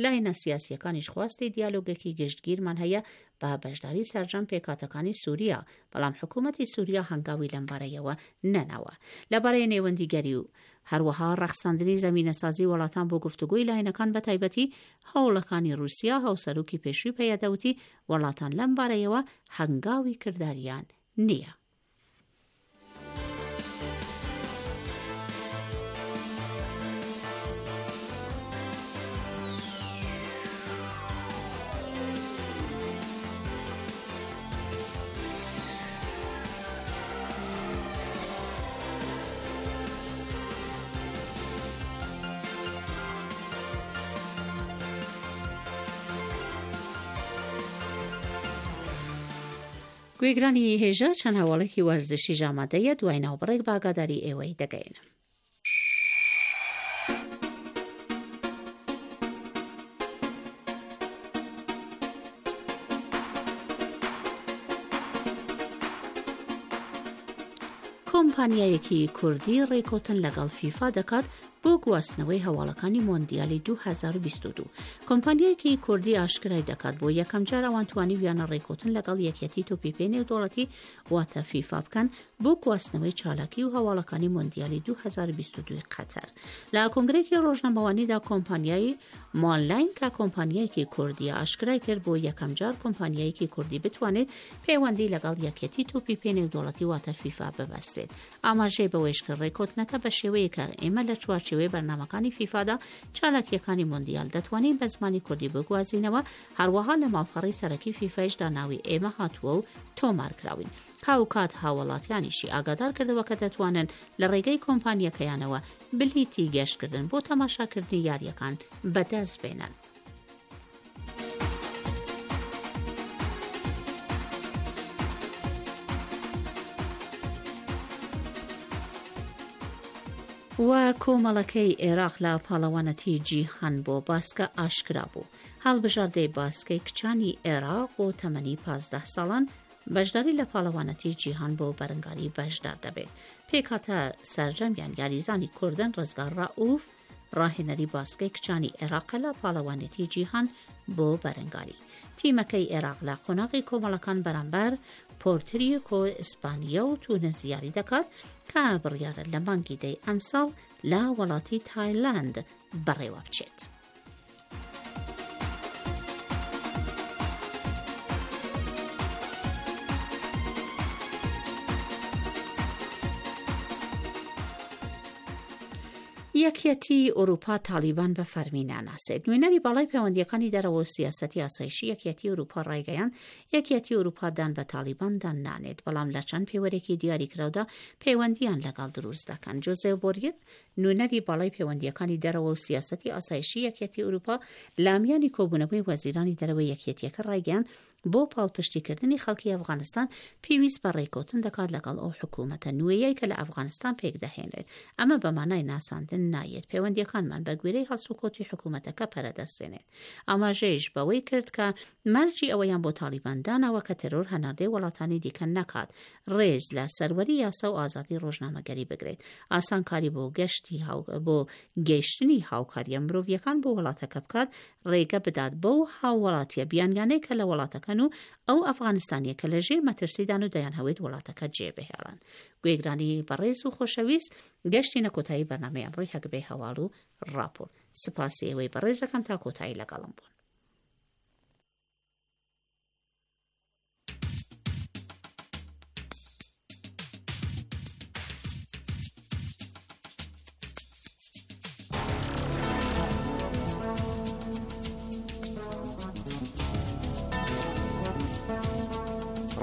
لایەنە سیاسییەکانیش خواستی دیالۆگێکی گشتگیرمان هەیە بە بەشداری سەرجەم پێکهاتەکانی سووریا، بەڵام حکوومەتی سووریا هەنگاوی لەمبارەیەوە نەناوە. لەبارەی نێوەندیگەری و هەروەها ڕەخساندنی زەمینەسازی وڵاتان بۆ گفتوگۆی لایەنەکان بەتایبەتی هەوڵەکانی ڕووسیا، هاوسەرۆکی پێشووی پەیەدە وتی، وڵاتان لەمبارەیەوە هەنگاوی کرداریان نییە. گوێگرانی هێژا چەند هەواڵێکی وەرزشیش ئامادەیە دوای ناوبڕێک بە ئاگاداری ئێوەی دەگەیەنم. کۆمپانیایەکی کوردی ڕێککەوتن لەگەڵ فیفا دەکات بۆ گواستنەوەی هەواڵەکانی مۆندیالی 2022. کۆمپانیایەکی کوردی ئاشکرای دەکات بۆ یەکەمجار ئەوان توانیویانە ڕێککەوتن لەگەڵ یەکێتی تۆپی پێی نێودەوڵەتی واتە فیفا بکەن بۆ گواستنەوەی چالاکی و هەواڵەکانی مۆندیالی 2022 قەتەر. لە کۆنگرەیەکی ڕۆژنامەوانیدا کۆمپانیای مۆنلاین کە کۆمپانیایەکی کوردیە ئاشکرای کرد بۆ یەکەمجار کۆمپانیایەکی کوردی بتوانێت پەیوەندی لەگەڵ یەکێتی تۆپی پێ نێودەوڵەتی واتە فیفا ببەستێت. ئاماژەی بەوەیشکرد ڕێککەوتنەکە بە شێوەیەکە ئێمە لە چوارچێوەی بەرنامەکانی فیفادا چالاکییەکانی مۆندیال دەتوانین بە زمانی کوردی بگوازینەوە، هەروەها لە ماڵپەڕی سەرەکی فیفایشدا ناوی ئێمە هاتووە و تۆمارکراوین. هاوکات هاوڵاتیانیشی ئاگادار کردەوە کە دەتوانن لە ڕێگەی کۆمپانیەکەیانەوە بلیتی گەشتکردن بۆ تەماشاکردنی یارییەکان بەدەست بێنن. و کۆمەڵەکەی عێراق لە پاڵەوانەتی جیهان بۆ باسکە ئاشکرا بوو. هەڵبژاردەی باسکەی کچانی عێراق بۆ تەمەنی 15 ساڵان بەشداری لە پاڵەوانەتی جیهان بۆ بەرەنگاری بەشدار دەبێت. پێکهاتە سەرجەمیان یاریزانی کوردن ڕزگار ڕەئوف، ڕاهێنەری باسکەی کچانی عێراقە لە پاڵەوانێتی جیهان بۆ بەرەنگاری. تیمەکەی عێراق لە قۆناغی کۆمەڵەکان بەرامبەر پۆرتریکۆ، ئیسپانیا و تونس یاری دەکات کە بڕیارە لە مانگی دەی ئەمساڵ لە وڵاتی تایلەند بەڕێوە بچێت. یەکیەتیی ئورووپا تاڵیبان بە فەرمی ناناسێت. نوێنەری باڵای پەیوەندییەکانی دەرەوە و سیاسەتی ئاسایشی یەکیەتیی ئورووپا ڕایگەیاند، یەکیەتیی ئورووپا دان بە تاڵیباندا نانێت، بەڵام لە چەند پێوەرێکی دیاریکراودا پەیوەندییان لەگەڵ دروست دەکەن. جۆزێف بۆریل، نوێنەری باڵای پەیوەندییەکانی دەرەوە و سیاسەتی ئاسایشی یەکیەتیی ئورووپا لە میانی کۆبوونەوەی وەزیرانی دەرەوەی یەکیەتییەکە ڕایگەیاند، بۆ پاڵپشتیکردنی خەڵکی ئەفغانستان پێویست بە ڕێککەوتن دەکات لەگەڵ ئەو حکوومەتە نوێیەی کە لە ئەفغانستان پێکدەهێنرێت. ئەمە بە مانای ناساندن نایەت. پەیوەندییەکانمان بە گوێرەی هەڵسوکەوتی حکوومەتەکە پەرە دەستێنێت. ئاماژەیش بەوەی کرد کە مەرجی ئەوەیان بۆ تاڵیبان داناوە کە تێرۆر هەناردەی وڵاتانی دیکە نەکات، ڕێز لە سەروەری یاسا و ئازادی ڕۆژنامەگەری بگرێت، ئاسانکاری بۆ گەشتی بۆ گەیشتنی هاوکارییە مرۆڤییەکان بۆ وڵاتەکە بکات، ڕێگە بدات بەو هاووڵاتییە بیانیانەی کە لە وڵاتەکەن و ئەو ئەفغانستانییە کە لە ژێر مەترسیدان و دەیانهەوێت وڵاتەکە جێبهێڵن. گوێگرانی بەڕێز و خۆشەویست، گەشتینە کۆتایی بەرنامەی ئەمڕۆی هەگبەی هەواڵ و ڕاپۆرت. سپاسی ئێوەی بەڕێز دەکەم تا کۆتایی لەگەڵم بوون.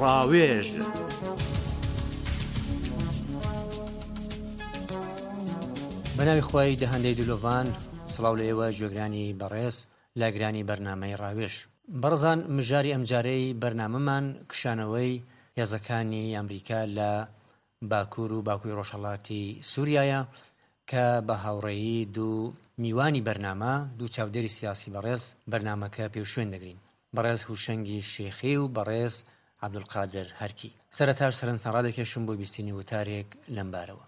ڕاوێژ. بەناوی خوای دەهەندەی دلۆڤان سڵاو لە ئێوە گوێگرانی بەڕێز لاگرانی بەرنامەی ڕاوێژ. بەڕێزان مژاری ئەمجارەی بەرنامەمان کشانەوەی هێزەکانی ئەمریکا لە باکوور و باکووری ڕۆژهەڵاتی سووریایە کە بە هاوڕێیی دوو میوانی بەرنامە، دوو چاودێری سیاسی بەڕێز بەرنامەکە پێوشوێن دەگرین. بەڕێز هوشەنگی شێخی و بەڕێز عەبدولقادر هەرکی. سەرەتاش سەرنجتان ڕادەکێشم بۆ بیستنی وتارێک لەمبارەوە.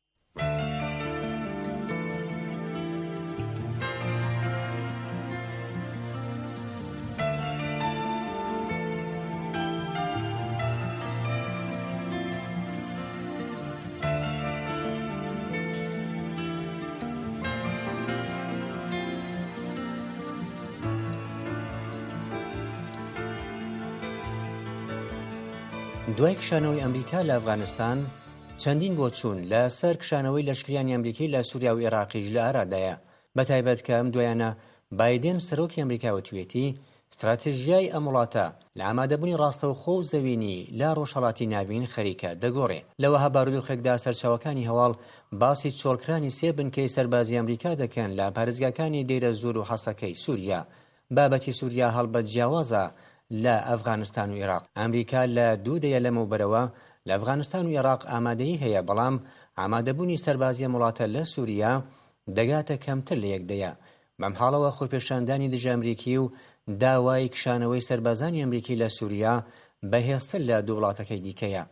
دوای کشانەوەی ئەمریکا لە ئەفغانستان، چەندین بۆچوون لە سەر کشانەوەی لەشکریانی ئەمریکی لە سوریا و ئێراقیش لە ئارادایە، بە تایبەت کە ئەم دوایانە بایدێن سەرۆکی ئەمریکا وتویەتی ستراتژیای ئەم وڵاتە لە ئامادەبوونی ڕاستەوخۆ و زەوینی لە ڕۆژهەڵاتی ناوین خەریکە دەگۆڕێ. لە وەها بارودۆخێکدا سەرچاوەکانی هەواڵ باسی چۆڵکرانی سێ بنکەی سەربازی ئەمریکا دەکەن لە پارێزگاکانی دەیرەزوور و حەسەکەی سوریا. بابەتی سوریا هەڵبەت جیاوازە لە ئەفغانستان و ئێراق. ئەمریکا لە دوو دەیە لەمەوبەرەوە لە ئەفغانستان و ئێراق ئامادەیی هەیە، بەڵام ئامادەبوونی سەربازی ئەم وڵاتە لە سوریا دەگاتە کەمتر لە یەک دەیە. بەم حاڵەوە خۆپێشاندانی دژە ئەمریکی و داوای کشانەوەی سەربازانی ئەمریکی لە سوریا بەهێزتر لە دوو وڵاتەکەی دیکەیە.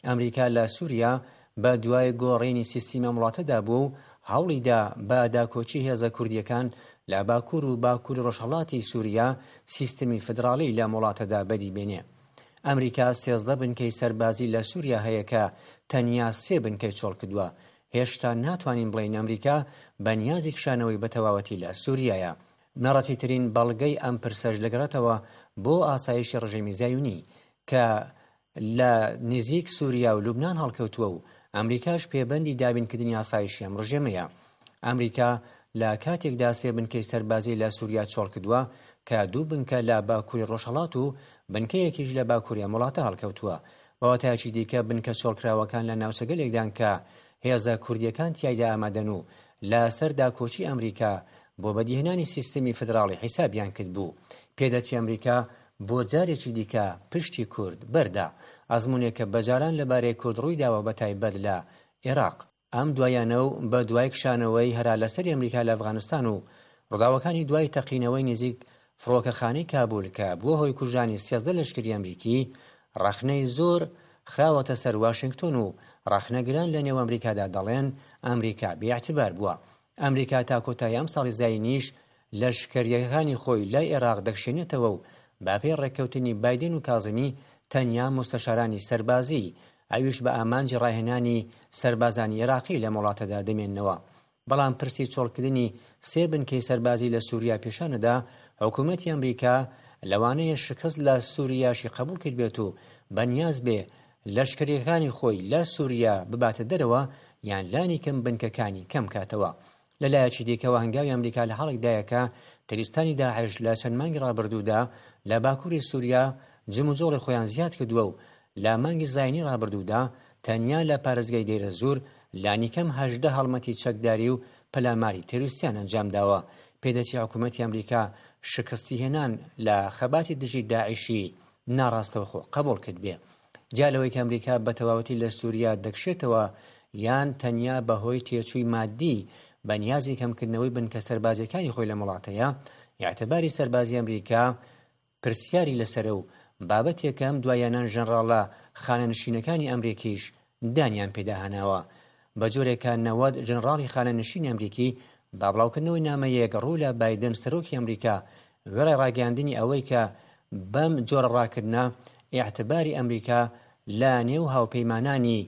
ئەمریکا لە سوریا بە دوای گۆڕینی سیستیمی ئەم وڵاتەدا بووە و هەوڵی دا بە داکۆکی هێزە کوردییەکان لە باکوور و باکووری ڕۆژهەڵاتی سووریا سیستمی فیدراڵی لەم وڵاتەدا بەدی بێنێ. ئەمریکا 13 بنکەی سەربازی لە سووریا هەیە کە تەنیا سێ بنکەی چۆڵ کردووە. هێشتا ناتوانین بڵێین ئەمریکا بە نیازی کشانەوەی بە تەواوەتی لە سووریایە. بنەڕەتیترین بەڵگەی ئەم پرسەش دەگەڕێتەوە بۆ ئاسایشی ڕژێمی زایونی کە لە نزیک سوریا و لوبنان هەڵکەوتووە و ئەمریکاش پێبەندی دابینکردنی ئاسایشی ئەم ڕژێمەیە. ئەمریکا لە کاتێکدا سێ بنکەی سەربازی لە سوریا چۆڵکردووە کە دوو بنکە لە باکووری ڕۆژهەڵات و بنکەیەکیش لە باکووری ئەم وڵاتە هەڵکەوتووە. بە واتایەکی دیکە بنکە چۆڵکراوەکان لە ناوچەگەلێکدان کە هێزە کوردییەکان تیایدا ئامادەن و لە سەر داکۆکی ئەمریکا بۆ بەدیهێنانی سیستمی فیدراڵی حیسابیان کردبوو. پێدەچێ ئەمریکا بۆ جارێکی دیکە پشتی کورد بەردا. ئەزموونێک کە بەجاران لەبارەی کورد ڕوویداوە بەتایبەت لە ئێراق. ئەم دواییانە و بە دوای کشانەوەی هەرالەسەری ئەمریکا لە ئەفغانستان و ڕووداوەکانی دوای تەقینەوەی نزیک فڕۆکەخانەی کابول کە بووە هۆی کوژرانی 13 لەشکری ئەمریکی، ڕەخنەی زۆر خراوەتە سەر واشێنگتۆن و ڕەخنەگران لە نێو ئەمریکادا دەڵێن ئەمریکا بێ ئیعتبار بووە. ئەمریکا تا کۆتایی ئەمساڵی زایینیش لەشکرییەکانی خۆی لە ئێراق دەکشێنێتەوە و بەپێی ڕێککەوتنی بایدن و کازمی تەنیا موستەشارانی سەربازی ئەویش بە ئامانجی ڕاهێنانی سەربازانی ئێراقی لەم وڵاتەدا دەمێننەوە. بەڵام پرسی چۆڵکردنی سێ بنکەی سەربازی لە سوریا پیشانەدا حکوومەتی ئەمریکا لەوانەیە شکست لە سوریاشی قبوڵ کردبێت و بەنیاز بێ لەشکرییەکانی خۆی لە سوریا بباتە دەرەوە یان لانیکەم بنکەکانی کەم کاتەوە. لە لایەکی دیکەوە هەنگاوی ئەمریکا لە حاڵێکدایە کە تریستانی داعش لە چەند مانگی ڕابردوودا لە باکووری سووریا جموجۆڵی خۆیان زیاد کردووە و لە مانگی زایینی ڕابردوودا تەنیا لە پارێزگای دەیرەزوور لانیکەم 18 هەڵمەتی چەکداری و پەلاماری تێروریستیان ئەنجام داوە. پێدەچی حکوومەتی ئەمریکا شکستی هێنان لە خەباتی دژی داعشی ناڕاستەوخۆ قەبووڵ کردبێ. جیا لەوەی کە ئەمریکا بە تەواوەتی لە سووریا دەکشێتەوە یان تەنیا بە هۆی تێچووی ماددی بە نیازی کەمکردنەوەی بنکە سەربازییەکانی خۆی لەم وڵاتەیە، ئیعتباری سەربازی ئەمریکا پرسیاری لەسەرە و بابەتێکە ئەم دواییانە ژەنڕاڵە خانەنشینەکانی ئەمریکیش دانیان پێدا هەناوە. بە جۆرێک کە 90 ژەنڕاڵی خانەنشینی ئەمریکی بە بڵاوکردنەوەی نامەیەک ڕوو لە بایدن سەرۆکی ئەمریکا وێڕای ڕاگەیاندنی ئەوەی کە بەم جۆرە ڕاکردنە ئیعتباری ئەمریکا لە نێو هاوپەیمانانی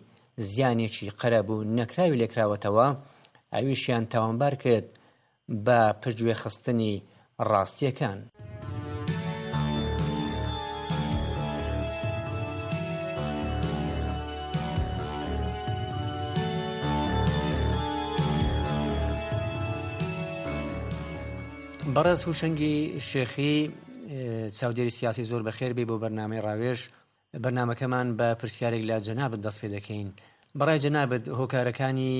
زیانێکی قەرەبوو نەکراوی لێکراوەتەوە، ئەویشیان تاوانبار کرد بە پشتگوێخستنی ڕاستییەکان. بەڕێز هوشەنگی شێخی چاودێری سیاسی زۆر بەخێر بێ بۆ بەرنامەی ڕاوێژ بەرنامەکەمان بە پرسیارێک لە جەنابت دەست پێ دەکەین بەڕای جەنابت هۆکارەکانی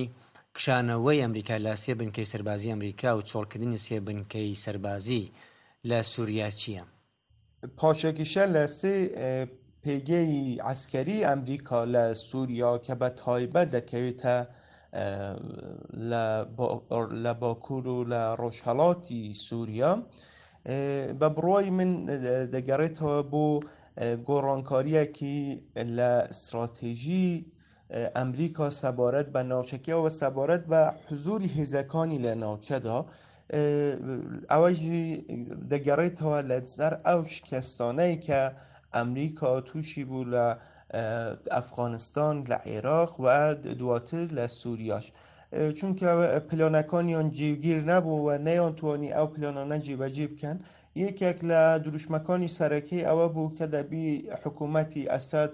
کشانەوەی ئەمریکا لە سێ بنکەی سەربازی ئەمریکا و چۆڵکردنی سێ بنکەی سەربازی لە سووریا چییە؟ پاشەکشە لە سێ پێگەی عەسکەری ئەمریکا لە سووریا کە بە تایبەت دەکەوێتە لە باکوور و لە ڕۆژهەڵاتی سووریا بە بڕوای من دەگەڕێتەوە بۆ گۆڕانکاریەکی لە استراتێژی ئەمریکا سەبارەت بە ناوچەکە و سەبارەت بە حزوری هێزەکانی لە ناوچەدا ئەوەش دەگەڕێتەوە لەسەر ئەو شکستانەی کە ئەمریکا تووشی بوو لە ئەفغانستان لە عێراق و دواتر لە سووریاش چونکە پلانەکانیان جێگیر نەبوو و نەیانتوانی ئەو پلانانە جێبەجێ بکەن یەکێک لە دروشمەکانی سەرەکی ئەوە بوو کە دەبی حکوومەتی ئەسەد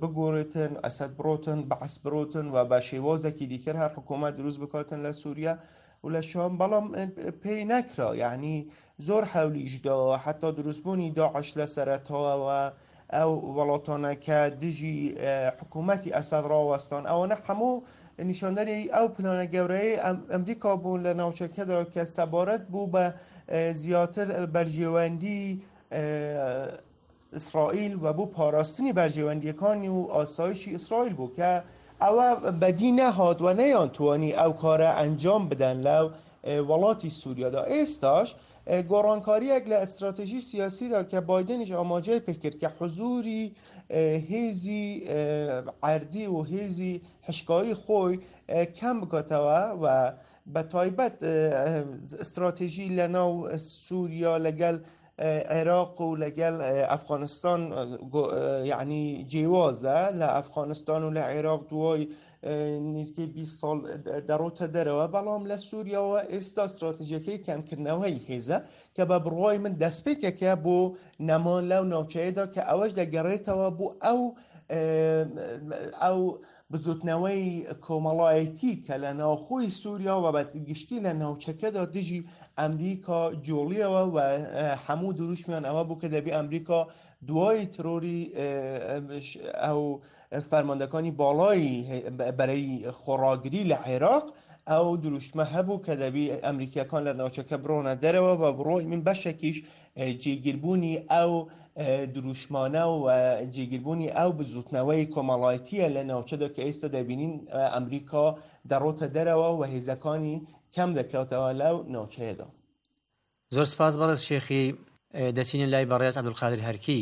بگۆڕێتن ئەسەد بڕۆتن بەعس بڕۆتن و بە شێوازێکی دیکە هەر حکوومەت دروست بکاتن لە سووریا و لە شام بەڵام پێی نەکرا یعنی زۆر حەولیشدا حتا دروستبوونی داعش لە سەرەتاوە ئەو وڵاتانە کە دژی حکوومەتی ئەسەد ڕاوەستان ئەوانە هەموو نیشاندەری ئەو پلانە گەورەی ئەمریکا بوون لە ناوچەکەدا کە سەبارەت بوو بە زیاتر بەرژەوەندی ئیسرائیل و بۆ پاراستنی بەرژەوەندیەکانی و ئاسایشی ئیسرائیل بوو کە ئەوە بەدی نەهات و نەیانتوانی ئەو کارە ئەنجام بدەن لە وڵاتی سووریادا ئێستاش گۆڕانکاریەک لە ئەستراتێژی سیاسیدا کە بایدنیش ئاماژەی پێکرد کە حزوری. هێزی عەردی و هێزی حشکایی خۆی کەم بکاتەوە و بە تایبەت استراتێژی لە ناو سووریا لەگەڵ عێراق و لەگەڵ ئەفغانستان یعنی جیوازە لە ئەفغانستان و لە عێراق دوای نزیکەی 20 ساڵ دەڕۆتە دەرەوە بەڵام لە سووریاوە ئێستا استراتیژیەکەی کەمکردنەوەی هێزە کە بە بڕوای من دەستپێکێکە بۆ نەمان لەو ناوچەیەدا کە ئەوەش دەگەڕێتەوە بۆ ئەو ئەو بزوتنەوەی کۆمەڵایەتی کە لە ناوخۆی سووریا و بە گشتی لە ناوچەکەدا دژی ئەمریکا جوڵیەوە و هەموو دروشمیان ئەوە بوو کە دەبێ ئەمریکا دوای ترۆری ئەو فەرماندەکانی باڵای بەرەی خۆڕاگری لە عێراق ئەو دروشمە هەبوو کە دەبی ئەمریکیەکان لە ناوچەکە بڕۆنە دەرەوە بە بڕۆی من بەشێکیش جێگیربوونی ئەو دروشمانە و جێگیربوونی ئەو بزوتنەوەی کۆمەڵایەتیە لە ناوچەدا کە ئێستا دەبینین ئەمریکا دەڕۆتە دەرەوە و هێزەکانی کەم دەکاتەوە لەو ناوچەیەدا. زۆر سپاس بەڕێز شێخی. دەچینە لای بەڕێز عەبدولقادر هەرکی.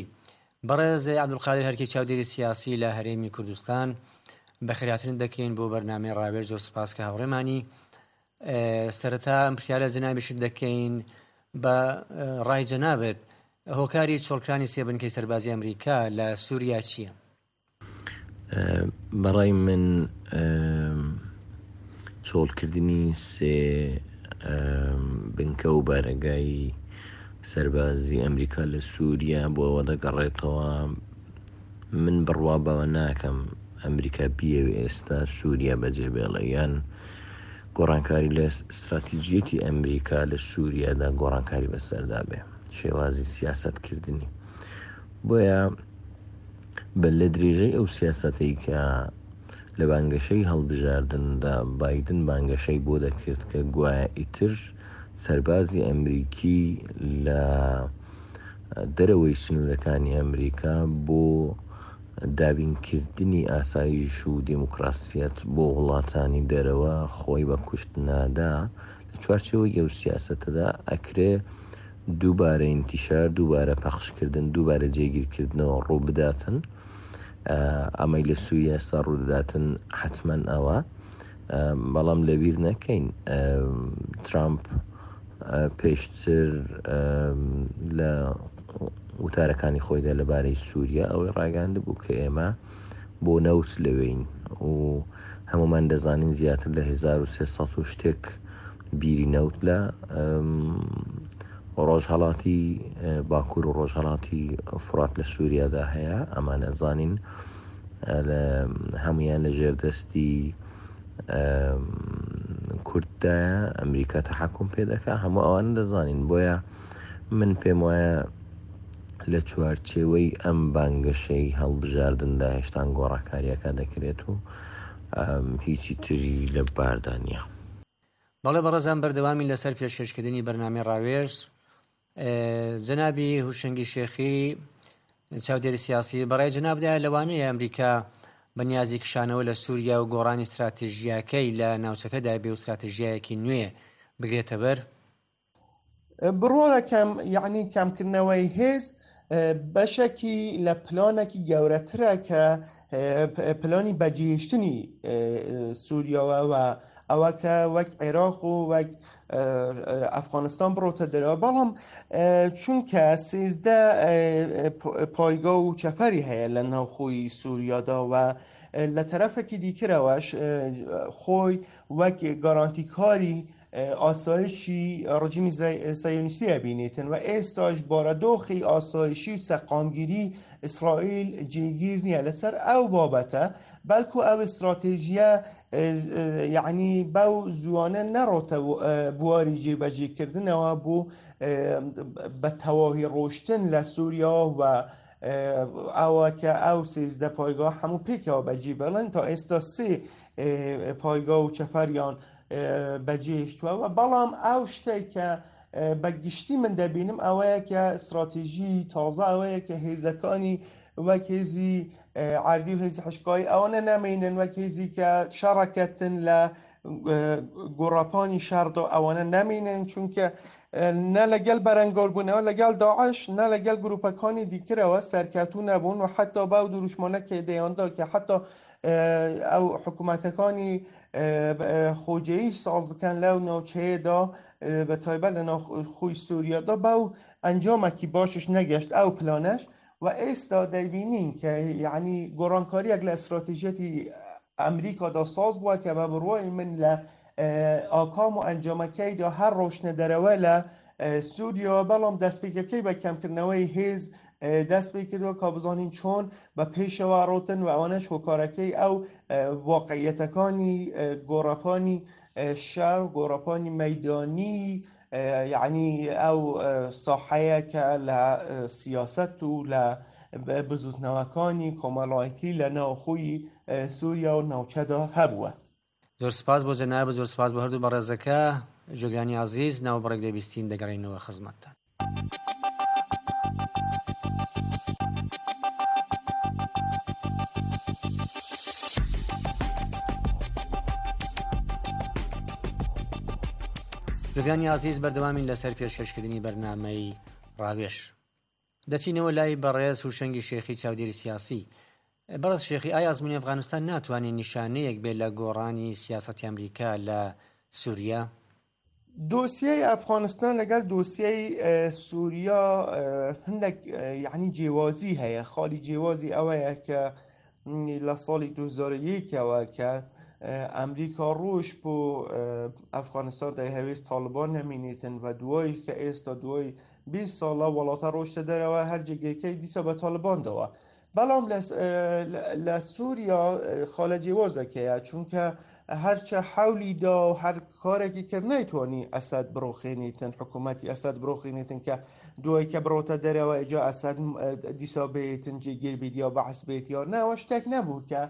بەڕێز عەبدولقادر هەرکی چاودێری سیاسی لە هەرێمی کوردستان بەخێرهاتنت دەکەین بۆ بەرنامەی ڕاوێژ زۆر سپاس کە هاوڕێمانی. سەرەتا ئەم پرسیارە جەنابیشت دەکەین بە ڕای جەنابت هۆکاری چۆڵکرانی سێ بنکەی سەربازی ئەمریکا لە سووریا چییە؟ بەڕای من چۆڵکردنی سێ بنکە و بارەگای سەربازی ئەمریکا لە سووریا بۆ ئەوە دەگەڕێتەوە من بڕوا بەوە ناکەم ئەمریکا بیەوێ ئێستا سووریا بەجێ بێڵێ یان گۆڕانکاری لە ستراتیجیەتی ئەمریکا لە سووریادا گۆڕانکاری بەسەردا بێ شێوازی سیاسەتکردنی بۆیە بە لە درێژەی ئەو سیاسەتەی کە لە بانگەشەی هەڵبژاردندا بایدن بانگەشەی بۆ دەکرد کە گوایە ئیتر سەربازی ئەمریکی لە دەرەوەی سنوورەکانی ئەمریکا بۆ دابینکردنی ئاسایش و دیموکراسیەت بۆ وڵاتانی دەرەوە خۆی بە کوشت نادا لە چوارچێوەی ئەو سیاسەتەدا ئەکرێ دووبارە ئینتیشار، دووبارە پەخشکردن، دووبارە جێگیرکردنەوە ڕووبداتن. ئەمەی لە سووریا ئێستا ڕوودەداتن حتمما ئەوە بەڵام لەبیر نەکەین ترامپ پێشتر لە وتارەکانی خۆیدا لەبارەی سووریا ئەوەی ڕاگەاند بوو کە ئێمە بۆ نەوت لەوێین و هەمومان دەزانین زیاتر لە 1300 و شتێک بیری نەوت لە ڕۆژهەڵاتی باکوور و ڕۆژهەڵاتی فرات لە سووریادا هەیە ئەمانە زانین هەمویان لە ژێردەستی کورددایە ئەمریکا تەحەکم پێ دەکا هەموو ئەوانە دەزانین بۆیە من پێم وایە لە چوارچێوەی ئەم بانگەشەی هەڵبژاردندا هێشتان گۆڕاکاریەکە دەکرێت و هیچی تری لە باردا نییە. بەڵێ بەڕێزان بەردەوامین لەسەر پێشکەشکردنی بەرنامەی ڕاوێژ جەنابی هوشەنگی شێخی چاودێری سیاسی بەڕای جەنابدا لەوانەیە ئەمریکا بە نیازی کشانەوە لە سووریا و گۆڕانی ستراتیژیاکەی لە ناوچەکەدا بێ و ستراتیژیایەکی نوێ بگرێتە بەر؟ بڕوا دەکەم یعنی کەمکردنەوەی هێز بەشێکی لە پلانێکی گەورەترە کە پلانی بەجێهێشتنی سووریاوە و ئەوە کە وەک عێراق و وەک ئەفغانستان بڕۆتە دەرەوە بەڵام چونکە سێزدە پایگا و چەپەری هەیە لە ناوخۆی سووریادا و لە تەرەفێکی دیکرەوەش خۆی وەک گارانتیکاری ئاسایشی ڕژیمی سایۆنیستی ئەبینێتن و ئێستاش بارەدۆخی ئاسایشی و سەقامگیری ئیسرائیل جێگیر نییە لەسەر ئەو بابەتە بەڵکو ئەو استراتێژیە یعنی بەو زوانە نەڕۆتە بواری جێبەجێکردنەوە بۆ بە تەواوی ڕۆشتن لە سووریا و ئەوە کە ئەو 13 پایگاه هەموو پێکەوە بەجێ بڵن تا ئێستا سێ پایگاه و چەپەریان بەجێهێشتووە و بەڵام ئەو شتێک کە بە گشتی من دەبینم ئەوەیە کە استراتێژی تازە ئەوەیە کە هێزەکانی وەک هێزی عردی و هێزی حشکایی ئەوانە نامێنن وەک هێزی کە شەڕەکەتن لە گۆڕاپانی شەڕدا ئەوانە نامێنن چونکە. نە لەگەل بەرەنگاربوونەوە لەگەڵ داعش نە لەگەل گروپەکانی دیکرەوە سەرکەوتوو نەبوون و حەتا بەو دروشمانە کە دەیاندا کە حەتا ئەو حکوومەتەکانی خۆجێیش ساز بکەن لەو ناوچەیەدا بە تایبەت لە ناو خۆی سووریادا بەو ئەنجامێکی باشش نەگەشت ئەو پلانەش و ئێستا دەیبینین کە یعنی گۆڕانکاریەک لە ئستراتیژیەتی ئەمریکادا ساز بووە کە بە بڕوای من لە ئاکام و ئەنجامەکەیدا هەر ڕۆشتنە دەرەوە لە سووریا، بەڵام دەستپێکەکەی بە کەمکردنەوەی هێز دەست پێ کردووە کا بزانین چۆن بە پێشەوە ڕۆتن و ئەوانەش هۆکارەکەی ئەو واقعیەتەکانی گۆڕەپانی شەڕ گۆڕەپانی مەدانی یعنی ئەو ساحەیە کە لە سیاست و لە بزوتنەوەکانی کۆمەڵایەتی لە ناوخۆی سووریا و ناوچەدا هەبووە. زۆر سپاس بۆ جەنابت، زۆر سپاس بۆ هەردوو بەڕێزەکە. گوێگرانی ئازیز ناوبڕێک دەبیستین دەگەڕێینەوە خزمەتتان. گوێگرانی ئازیز بەردەوامین لەسەر پێشکەشکردنی بەرنامەی ڕاوێژ. دەچینەوە لای بەڕێز هوشەنگی شێخی چاودێری سیاسی. بەڕێز شێخی ئایا ئەزموونی ئەفغانستان ناتوانێت نیشانەیەک بێت لە گۆڕانی سیاسەتی ئەمریکا لە سوریا؟ دۆسیەی ئەفغانستان لەگەڵ دۆسیەی سوریا هەندێک یعنی جیوازی هەیە. خاڵی جیوازی ئەوەیە کە لە ساڵی 2001ەوە کە ئەمریکا ڕۆژ بۆ ئەفغانستان دەیهەوێت تاڵبان نەمینێتن و دوای کە ئێستا دوای 20 ساڵە وڵاتە ڕۆشتە دەرەوە هەر جێگەکەی دیسا بە تاڵبان داوە. بەڵام لە سووریا خاڵە جیوازەکەیە، چونکە هەرچە حەولی دا و هەر کارێکی کرد نەیتوانی ئەسەد بڕوخێنیتن، حکوومەتی ئەسەد بڕوخێنیتن کە دوای کە بڕۆتە دەرەوە ئیجا ئەسەد دیسا بێتن جێگیر بیت یا بەعس بێت یا نەوە شتێک نەبوو کە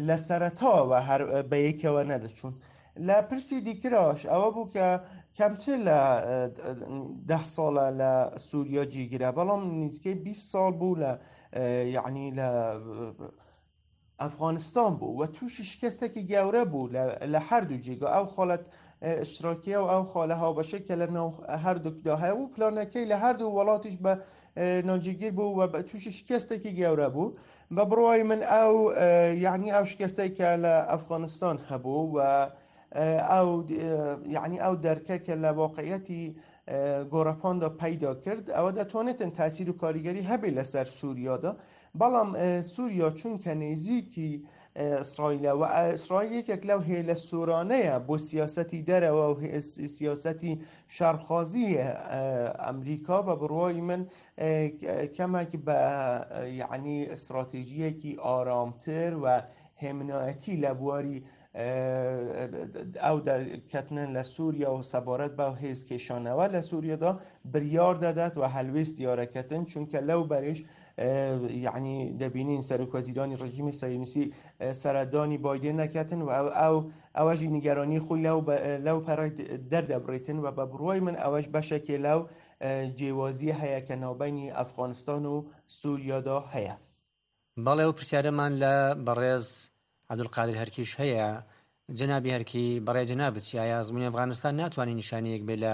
لە سەرەتاوە هەر بە یەکەوە نەدەچوون. لە پرسی دیکراش ئەوە بوو کە کەمتر لە ده ساڵە لە سووریا جێگیرە، بەڵام نزیکەی 20 ساڵ بوو لە یعنی لە ئەفغانستان بوو و تووشی شکستێکی گەورە بوو لە هەردوو جێگا، ئەو خاڵەت اشتراکیە و ئەو خاڵە هاوبەشەی کە لە ناو هەردووکدا هەیە و پلانەکەی لە هەردوو وڵاتیش بە ناجێگیر بوو و تووشی شکستێکی گەورە بوو. بە بڕوای من ئەو یعنی ئەو شکستەی کە لە ئەفغانستان هەبوو و ئەو یعنی ئەو دەرکە کە لە واقعیەتی گۆڕەپاندا پەیدا کرد ئەوە دەتوانێتن تاسیر و کاریگەری هەبێت لەسەر سووریادا، بەڵام سووریا چونکە نزیکی ئیسرائیلە و ئیسرائیل یەکێک لەو هێلە سۆرانەیە بۆ سیاسەتی دەرەوە و سیاسەتی شەڕخوازی ئەمریکا، بە بڕوای من کەمێک بە یعنی استراتێژیەکی ئارامتر و هێمنایەتی لە بواری ئەو دەرکەتنن لە سووریا و سەبارەت بە هێز کێشانەوە لە سووریادا بریار دەدات و هەلوێست دیارەکەتن، چونکە لەو بەرش یعنی دەبینین سەرۆک وەزیرانی ڕژیمی سەیونیسی سەردانی بایدن نەکەتن و ئەو ئەوەژی نیگەرانی خۆی لەو پەڕی دەردەبڕێتن و بە بڕوای من ئەوەش بەشێکێ لەو جیوازی هەیە کە ناوبینی ئەفغانستان و سووریادا هەیە. بەڵێ ئەو پرسیارەمان لە بەڕێز عەبدولقادر هەرکیش هەیە، جەنابی هەرکی بەڕای جەنابت چی ئایا ئەزموونی ئەفغانستان ناتوانێت نیشانەیەک بێت لە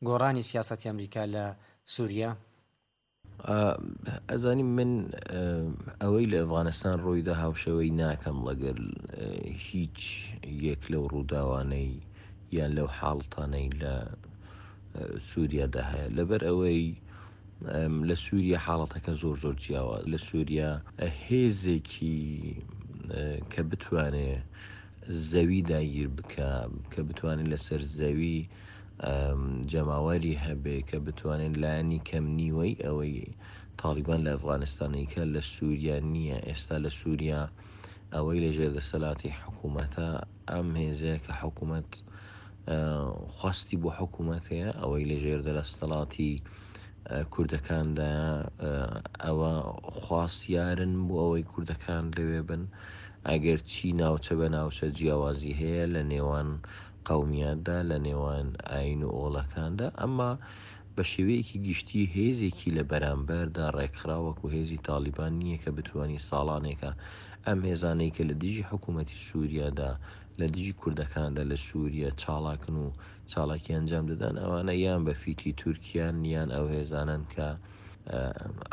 گۆڕانی سیاسەتی ئەمریکا لە سووریا؟ ئەزانی من ئەوەی لە ئەفغانستان ڕوویدا هاوشێوەی ناکەم لەگەل هیچ یەک لەو ڕووداوانەی یان لەو حاڵتانەی لە سووریادا هەیە لەبەر ئەوەی لە سووریا حاڵەتەکە زۆر زۆر جیاوە لە سووریا هێزێکی کە بتوانێ زەوی داگیر بکە کە بتوانێت لەسەر زەوی جەماوەری هەبێ کە بتوانێت لایەنی کەم نیوەی ئەوەی تاڵیبان لە ئەفغانستانەی کە لە سووریا نییە ئێستا لە سووریا ئەوەی لە ژێر دەسەلاتی حکوومەتە ئەم هێزەیە کە حکوومەت خواستی بۆ حکوومەت هەیە ئەوەی لە ژێر دەستەڵاتی کوردەکاندا ئەوە خواستیارن بۆ ئەوەی کوردەکان لەوێ بن ئەگەر چی ناوچە بە ناوچە جیاوازی هەیە لە نێوان قەومیاتدا لە نێوان ئاین و ئۆڵەکاندا ئەمما بە شێوەیەکی گشتی هێزێکی لە بەرامبەردا ڕێکخراو وەکو هێزی تاڵیبان نییە کە بتوانی ساڵانێکە. ئەم هێزانەی کە لە دژی حکوومەتی سووریادا، لە دژی کوردەکاندا لە سووریە چاڵاکن و چاڵاکی ئەنجام دەدەن، ئەوانە یان بە فیتی تورکیان یان ئەو هێزانەن کە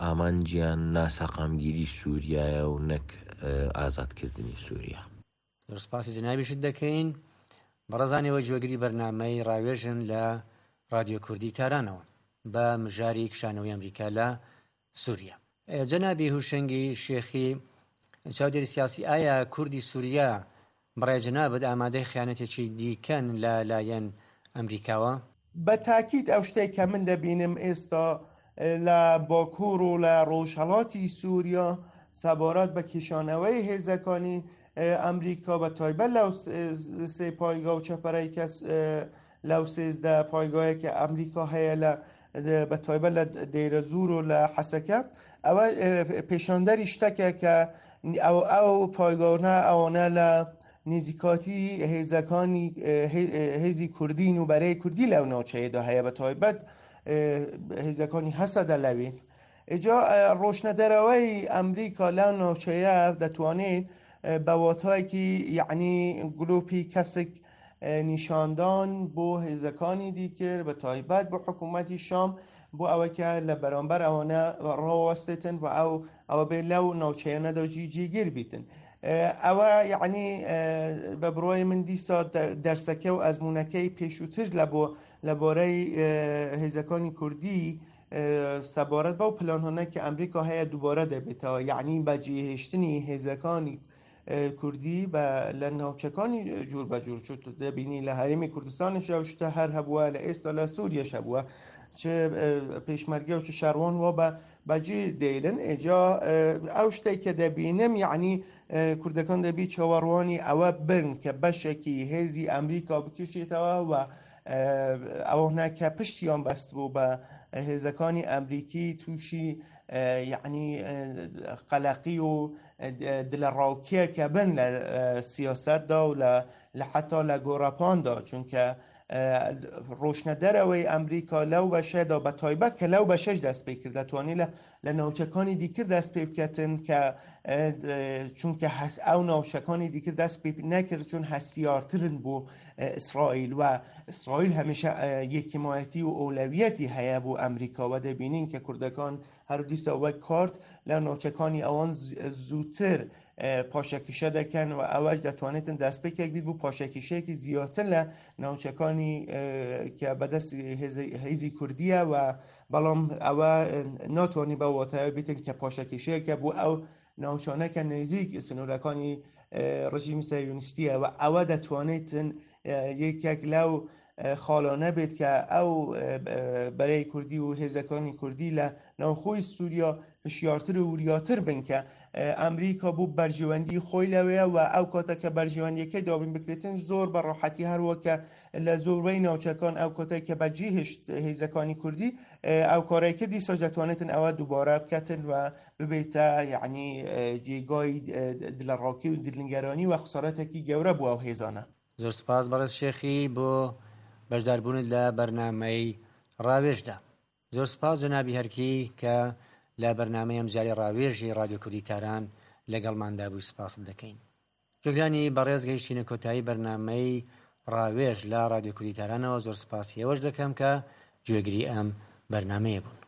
ئامانجیان ناسەقامگیری سووریایە و نەک ئازادکردنی سووریا. زۆر سپاسی جەنابیشت دەکەین. بەڕێزان ئێوە گوێگری بەرنامەی ڕاوێژن لە ڕادیۆ کوردی تارانەوە بە مژاری کشانەوەی ئەمریکا لە سووریا. جەنابی هوشەنگی شێخی چاودێری سیاسی ئایا کوردی سووریا بەڕای جەنابت ئامادەی خیانەتێکی دیکەن لە لایەن ئەمریکاوە؟ بە تاکید ئەو شتەی کە من دەبینم ئێستا لە باکوور و لە ڕۆژهەڵاتی سووریا سەبارەت بە کێشانەوەی هێزەکانی ئەمریکا بە تایبەت لەو سێ پایگا و چەپەرەی کە لەو 13 پایگایە کە ئەمریکا هەیە لە بە تایبەت لە دەیرەزوور و لە حەسەکە ئەوە پێشاندەری شتەکە کە ئەو ئەو پایگانە ئەوانە لە نزیکاتی هێزەکانی هێزی کوردین و بەرەی کوردی لەو ناوچەیەدا هەیە بە تایبەت هێزەکانی هەسەدە لەوێ ئیجا ڕۆشنە دەرەوەی ئەمریکا لەو ناوچەیە دەتوانێت بە واتایەکی یعنی گلوپی کەسک نیشاندان بۆ هێزەکانی دیکر بە تایبەت بۆ حکوومەتی شام بۆ ئەوە کە لە بەرامبەر ئەوانە ڕاوەستێتن و ئەو ئەوە بێ لەو ناوچەیانەدا جی جێگیر بیتن ئەوە یعنی بە بڕای من دیسا دەرسەکە و ئەزمونونەکەی پێشووتر لە بۆ لە بارەی هێزەکانی کوردی سەبارەت بەو پلانانە کە ئەمریکا هەیە دووبارە دەبێتەوە یعنی بەجێهێشتنی هێزەکانی کوردی بە لە ناوچەکانی جور بە جور چوت دەبینی لە هەرێمی کوردستانش ئەو شتە هەر هەبووە لە ئێستا لە سووریەش هەبووە چ پێشمەرگە و چ شەڕوان وا بە بەجێ دێلن ئێجا ئەو شتێک کە دەبینم یعنی کوردەکان دەبی چاوەڕوانی ئەوە بن کە بەشێکی هێزی ئەمریکا بکێشێتەوە و ئەوانە کە پشتیان بەست بوو بە هێزەکانی ئەمریکی تووشی یعنی قەلەقی و دلەڕاوکێکە بن لە سیاسەتدا و لە حتا لە گۆڕەپاندا چونکە ڕۆشنە دەرەوەی ئەمریکا لەو بەشەدا بە تایبەت کە لەو بەشەش دەست پێ کرد دەتوانێت لە لە ناوچەکانی دیکر دەست پێ بکەتن کە چونکە هەس ئەو ناوچەکانی دیکر دەست پێ نەکرد چون هەستیارترن بۆ ئیسرائیل و ئیسرائیل هەمیشە یەکیمایەتی و ئەولەویەتی هەیە بۆ ئەمریکا و دەبینین کە کوردەکان هەرگیزە وەک کارت لە ناوچەکانی ئەوان زووتر پاشەکیشە دەکەن و ئەوەش دەتوانێتن دەستپێکێک بیت بۆ پاشەکیشەیەکی زیاتر لە ناوچەکانی کە بەدەست هێزی کوردیە و بەڵام ئەوە ناتوانانی بە واتایە بیتن کە پاشەکیشەیەکە بۆ ئەو ناوچانە کە نزیک سنوورەکانی ڕژیمی سەیونیستیە و ئەوە دەتوانێتن یەکێک لەو خاڵانە بێت کە ئەو بەرەی کوردی و هێزەکانی کوردی لە ناوخۆی سووریا هشیارتر و وریاتر بن کە ئەمریکا بۆ بەرژەوەندی خۆی لەوەیە و ئەو کاتە کە بەرژەوەندیەکەی دابین بکرێتن زۆر بە ڕاحەتی هەروەکە لە زۆربەی ناوچەکان ئەو کاتێک کە بەجێ هێشت هێزەکانی کوردی ئەو کارەی کردی سۆج دەتوانێتن ئەوە دووبارە بکەتن و ببێتە یعنی جێگای دلەڕاوکێ و دلنگەرانی و خسارەتێکی گەورە بۆ ئەو هێزانە. زۆر سپاس بەڕێز شێخی بۆ بەشداربوونت لە بەرنامەی ڕاوێژدا. زۆر سپاس جەنابی هەرکی کە لە بەرنامەی ئەمجارەی ڕاوێژی ڕادیۆ کوردی تاران لەگەڵماندا بووی سپاست دەکەین. گوێگرانی بەڕێز گەیشتینە کۆتایی بەرنامەی ڕاوێژ لە ڕادیۆ کوردی تارانەوە زۆر سپاسی ئێوەش دەکەم کە گوێگری ئەم بەرنامەیە بوون.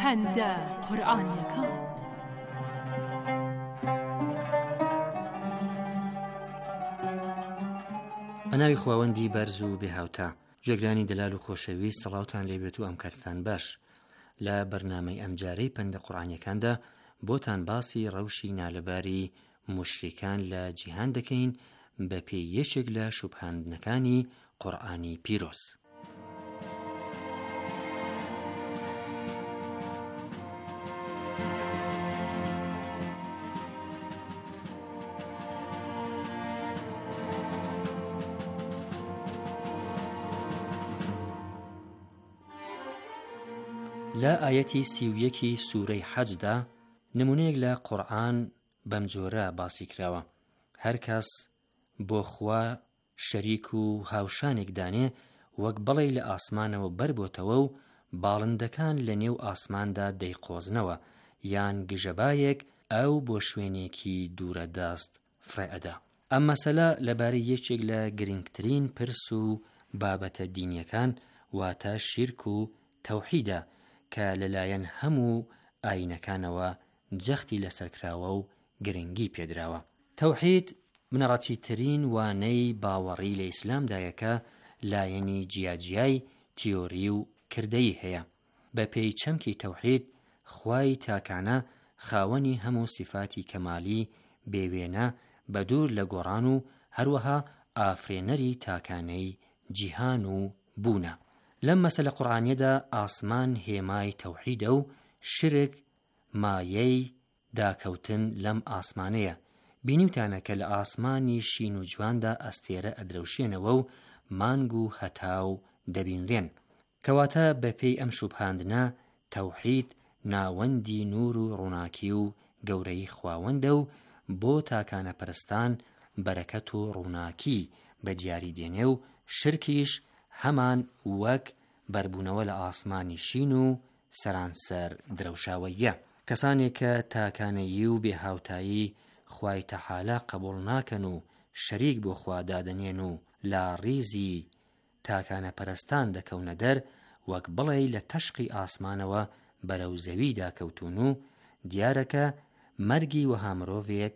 پەندە قورئانیەکان. بە ناوی خواوەندی بەرز و بێهاوتا گوێگرانی دەلال و خۆشەویست سڵاوتان لێبێت و ئەم کاتتان باش لە بەرنامەی ئەمجارەی پەندە قورئانیەکاندا بۆتان باسی ڕەوشی نالەباری موشریکان لە جیهان دەکەین. بە پێی یەکێک لە شوبهاندنەکانی قورئانی پیرۆز. لە ئایەتی 31 سوورەی حەجدا نمونەیەک لە قورئان بەم جۆرە باسی کراوە، هەر کەس بۆ خوا شەریک و هاوشانێک دانێ وەک بەڵێی لە ئاسمانەوە بەربۆتەوە و باڵندەکان لە نێو ئاسماندا دەیقۆزنەوە یان گژەبایەک ئەو بۆ شوێنێکی دوورە دەست فڕێ ئەدا. ئەم مەسەلە لەبارەی یەکێک لە گرنگترین پرس و بابەتە دینیەکان واتە شیرک و تەوحیدە کە لەلایەن هەموو ئایینەکانەوە جەختی لەسەر کراوە و گرنگی پێدراوە. تەوحید بنەڕەتیترین وانەی باوەڕی لە ئیسلامدایە کە لایەنی جیاجیای تیۆری و کردەیی هەیە. بە پێی چەمکی تەوحید، خوای تاکانە خاوەنی هەموو سیفاتی کەمالی بێ وێنە بە دوور لە گۆڕان و هەروەها ئافرێنەری تاکانەی جیهان و بوونە. لەم مەسەلە قورئانیەدا ئاسمان هێمای تەوحیدە و شرک مایەی داکەوتن لەم ئاسمانەیە. بینیوتانە کە لە ئاسمانی شین و جواندا ئەستێرە ئەدرەوشێنەوە و مانگ و هەتاو دەبینرێن. کەواتە بە پێی ئەم شوبهاندنە تەوحید ناوەندی نوور و ڕووناکی و گەورەیی خواوەندە و بۆ تاکانەپەرستان بەرەکەت و ڕووناکی بە دیاری دێنێ و شرکیش هەمان وەک بەربوونەوە لە ئاسمانی شین و سەرانسەر درەوشاوەییە. کەسانێک کە تاکانەیی و بێ هاوتایی خوای تەحالا قەبوڵ ناکەن و شەریک بۆ خوا دادەنێن و لە ڕیزی تاکانەپەرستان دەکەونە دەر وەک بڵێی لە تەشقی ئاسمانەوە بەرەو زەوی داکەوتوون و دیارە کە مەرگی وەها مرۆڤێک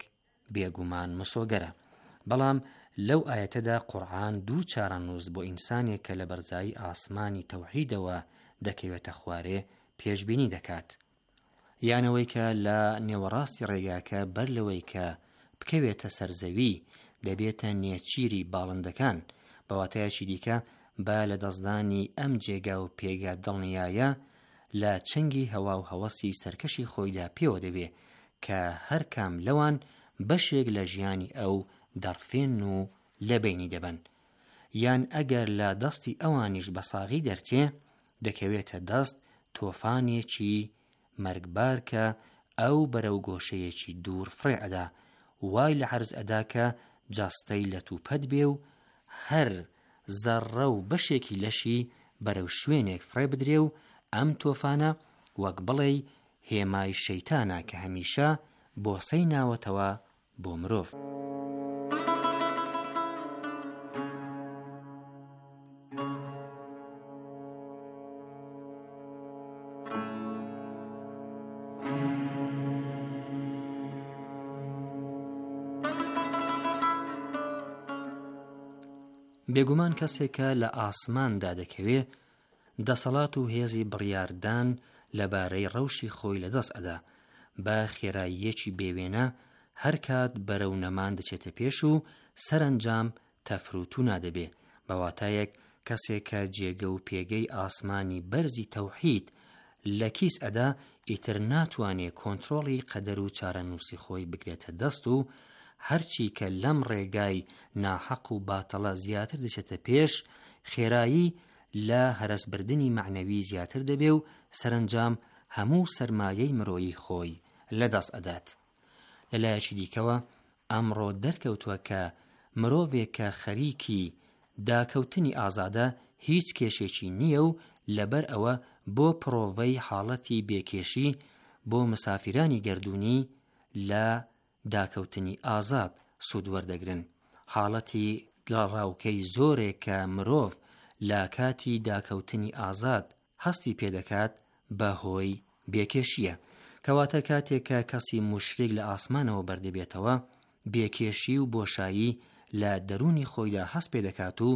بێگومان مسۆگەرە. بەڵام لەو ئایەتەدا قورعان دوو چارەنووس بۆ ئینسانێک کە لە بەرزایی ئاسمانی تەوحیدەوە دەکەوێتە خوارێ پێشبینی دەکات. یان ئەوەی کە لە نێوەڕاستی ڕێگاکە بەر لەوەی کە بکەوێتە سەر زەوی دەبێتە نێچیری باڵندەکان، بە واتایەکی دیکە بە لەدەستدانی ئەم جێگا و پێگە دڵنیایە لە چنگی هەوا و هەوەسی سەرکەشی خۆیدا پێوە دەبێ کە هەر کام لەوان بەشێک لە ژیانی ئەو دەڕفێنن و لە بەینی دەبەن. یان ئەگەر لە دەستی ئەوانیش بە ساغی دەرچێ، دەکەوێتە دەست تۆفانێکی مەرگبار کە ئەو بەرەو گۆشەیەکی دوور فڕێ ئەدا، وای لە عەرز ئەدا کە جەستەی لەتوپەت بێ و هەر زەڕڕە و بەشێکی لەشی بەرەو شوێنێک فڕێ بدرێ و ئەم تۆفانە وەک بڵێی هێمای شەیتانە کە هەمیشە بۆسەی ناوەتەوە بۆ مرۆڤ. بێگومان کەسێک کە لە ئاسماندا دەکەوێ دەسەڵات و هێزی بڕیاردان لەبارەی ڕەوشی خۆی لەدەست ئەدا، بە خێراییەکی بێوێنە هەرکات بەرەو نەمان دەچێتە پێش و سەرەنجام تەفروتونا دەبێ، بە واتایەک کەسێک کە جێگە و پێگەی ئاسمانی بەرزی تەوحید لە کیس ئەدا ئیتر ناتوانێ کۆنترۆڵی قەدەر و چارەنووسی خۆی بگرێتە دەست و هەرچی کە لەم ڕێگای ناحەق و باتەڵە زیاتر دەچێتە پێش خێرایی لە هەرەسبردنی مەعنەوی زیاتر دەبێ و سەرەنجام هەموو سەرمایەی مرۆیی خۆی لەدەست ئەدات. لە لایەکی دیکەوە ئەمڕۆ دەرکەوتوە کە مرۆڤێک کە خەریکی داکەوتنی ئازادە هیچ کێشێکی نییە و لەبەر ئەوە بۆ پڕۆڤەی حاڵەتی بێکێشی بۆ مسافیرانی گەردوونی لە داکەوتنی ئازاد سوود وەردەگرن. حاڵەتی دڵەڕاوکەی زۆرێک کە مرۆڤ لە کاتی داکەوتنی ئازاد هەستی پێ دەکات بە هۆی بێکێشییە. کەواتە کاتێک کە کەسی موشریک لە ئاسمانەوە بەردەبێتەوە، بێکێشی و بۆشایی لە دەروونی خۆیدا هەست پێ دەکات و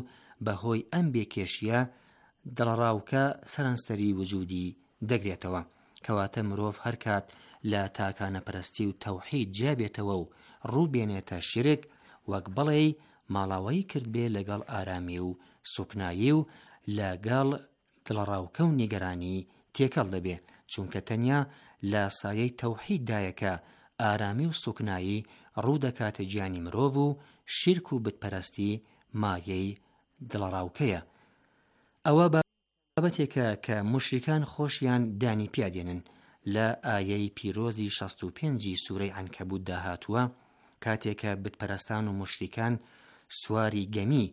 بە هۆی ئەم بێکێشییە دڵەڕاوکە سەرانسەری وجوودی دەگرێتەوە. کەواتە مرۆڤ هەرکات لە تاکانەپەرستی و تەوحید جیا بێتەوە و ڕوو بێنێتە شیرک، وەک بڵێی ماڵاوایی کردبێ لەگەڵ ئارامی و سوکنایی و لە گەڵ دڵەڕاوکە و نیگەرانی تێکەڵ دەبێ، چونکە تەنیا لە سایەی تەوحید دایە کە ئارامی و سوکنایی ڕوو دەکاتە گیانی مرۆڤ و شیرک و بتپەرەستی مایەی دڵەڕاوکەیە. ئەوە بابەتێکە کە موشریکان خۆشیان دانی پیا دێنن، لە ئایەی پیرۆزی 65 ی سورەی عەنکەبوتدا هاتووە، کاتێ کە بتپەرەستان و موشریکان سواری گەمی.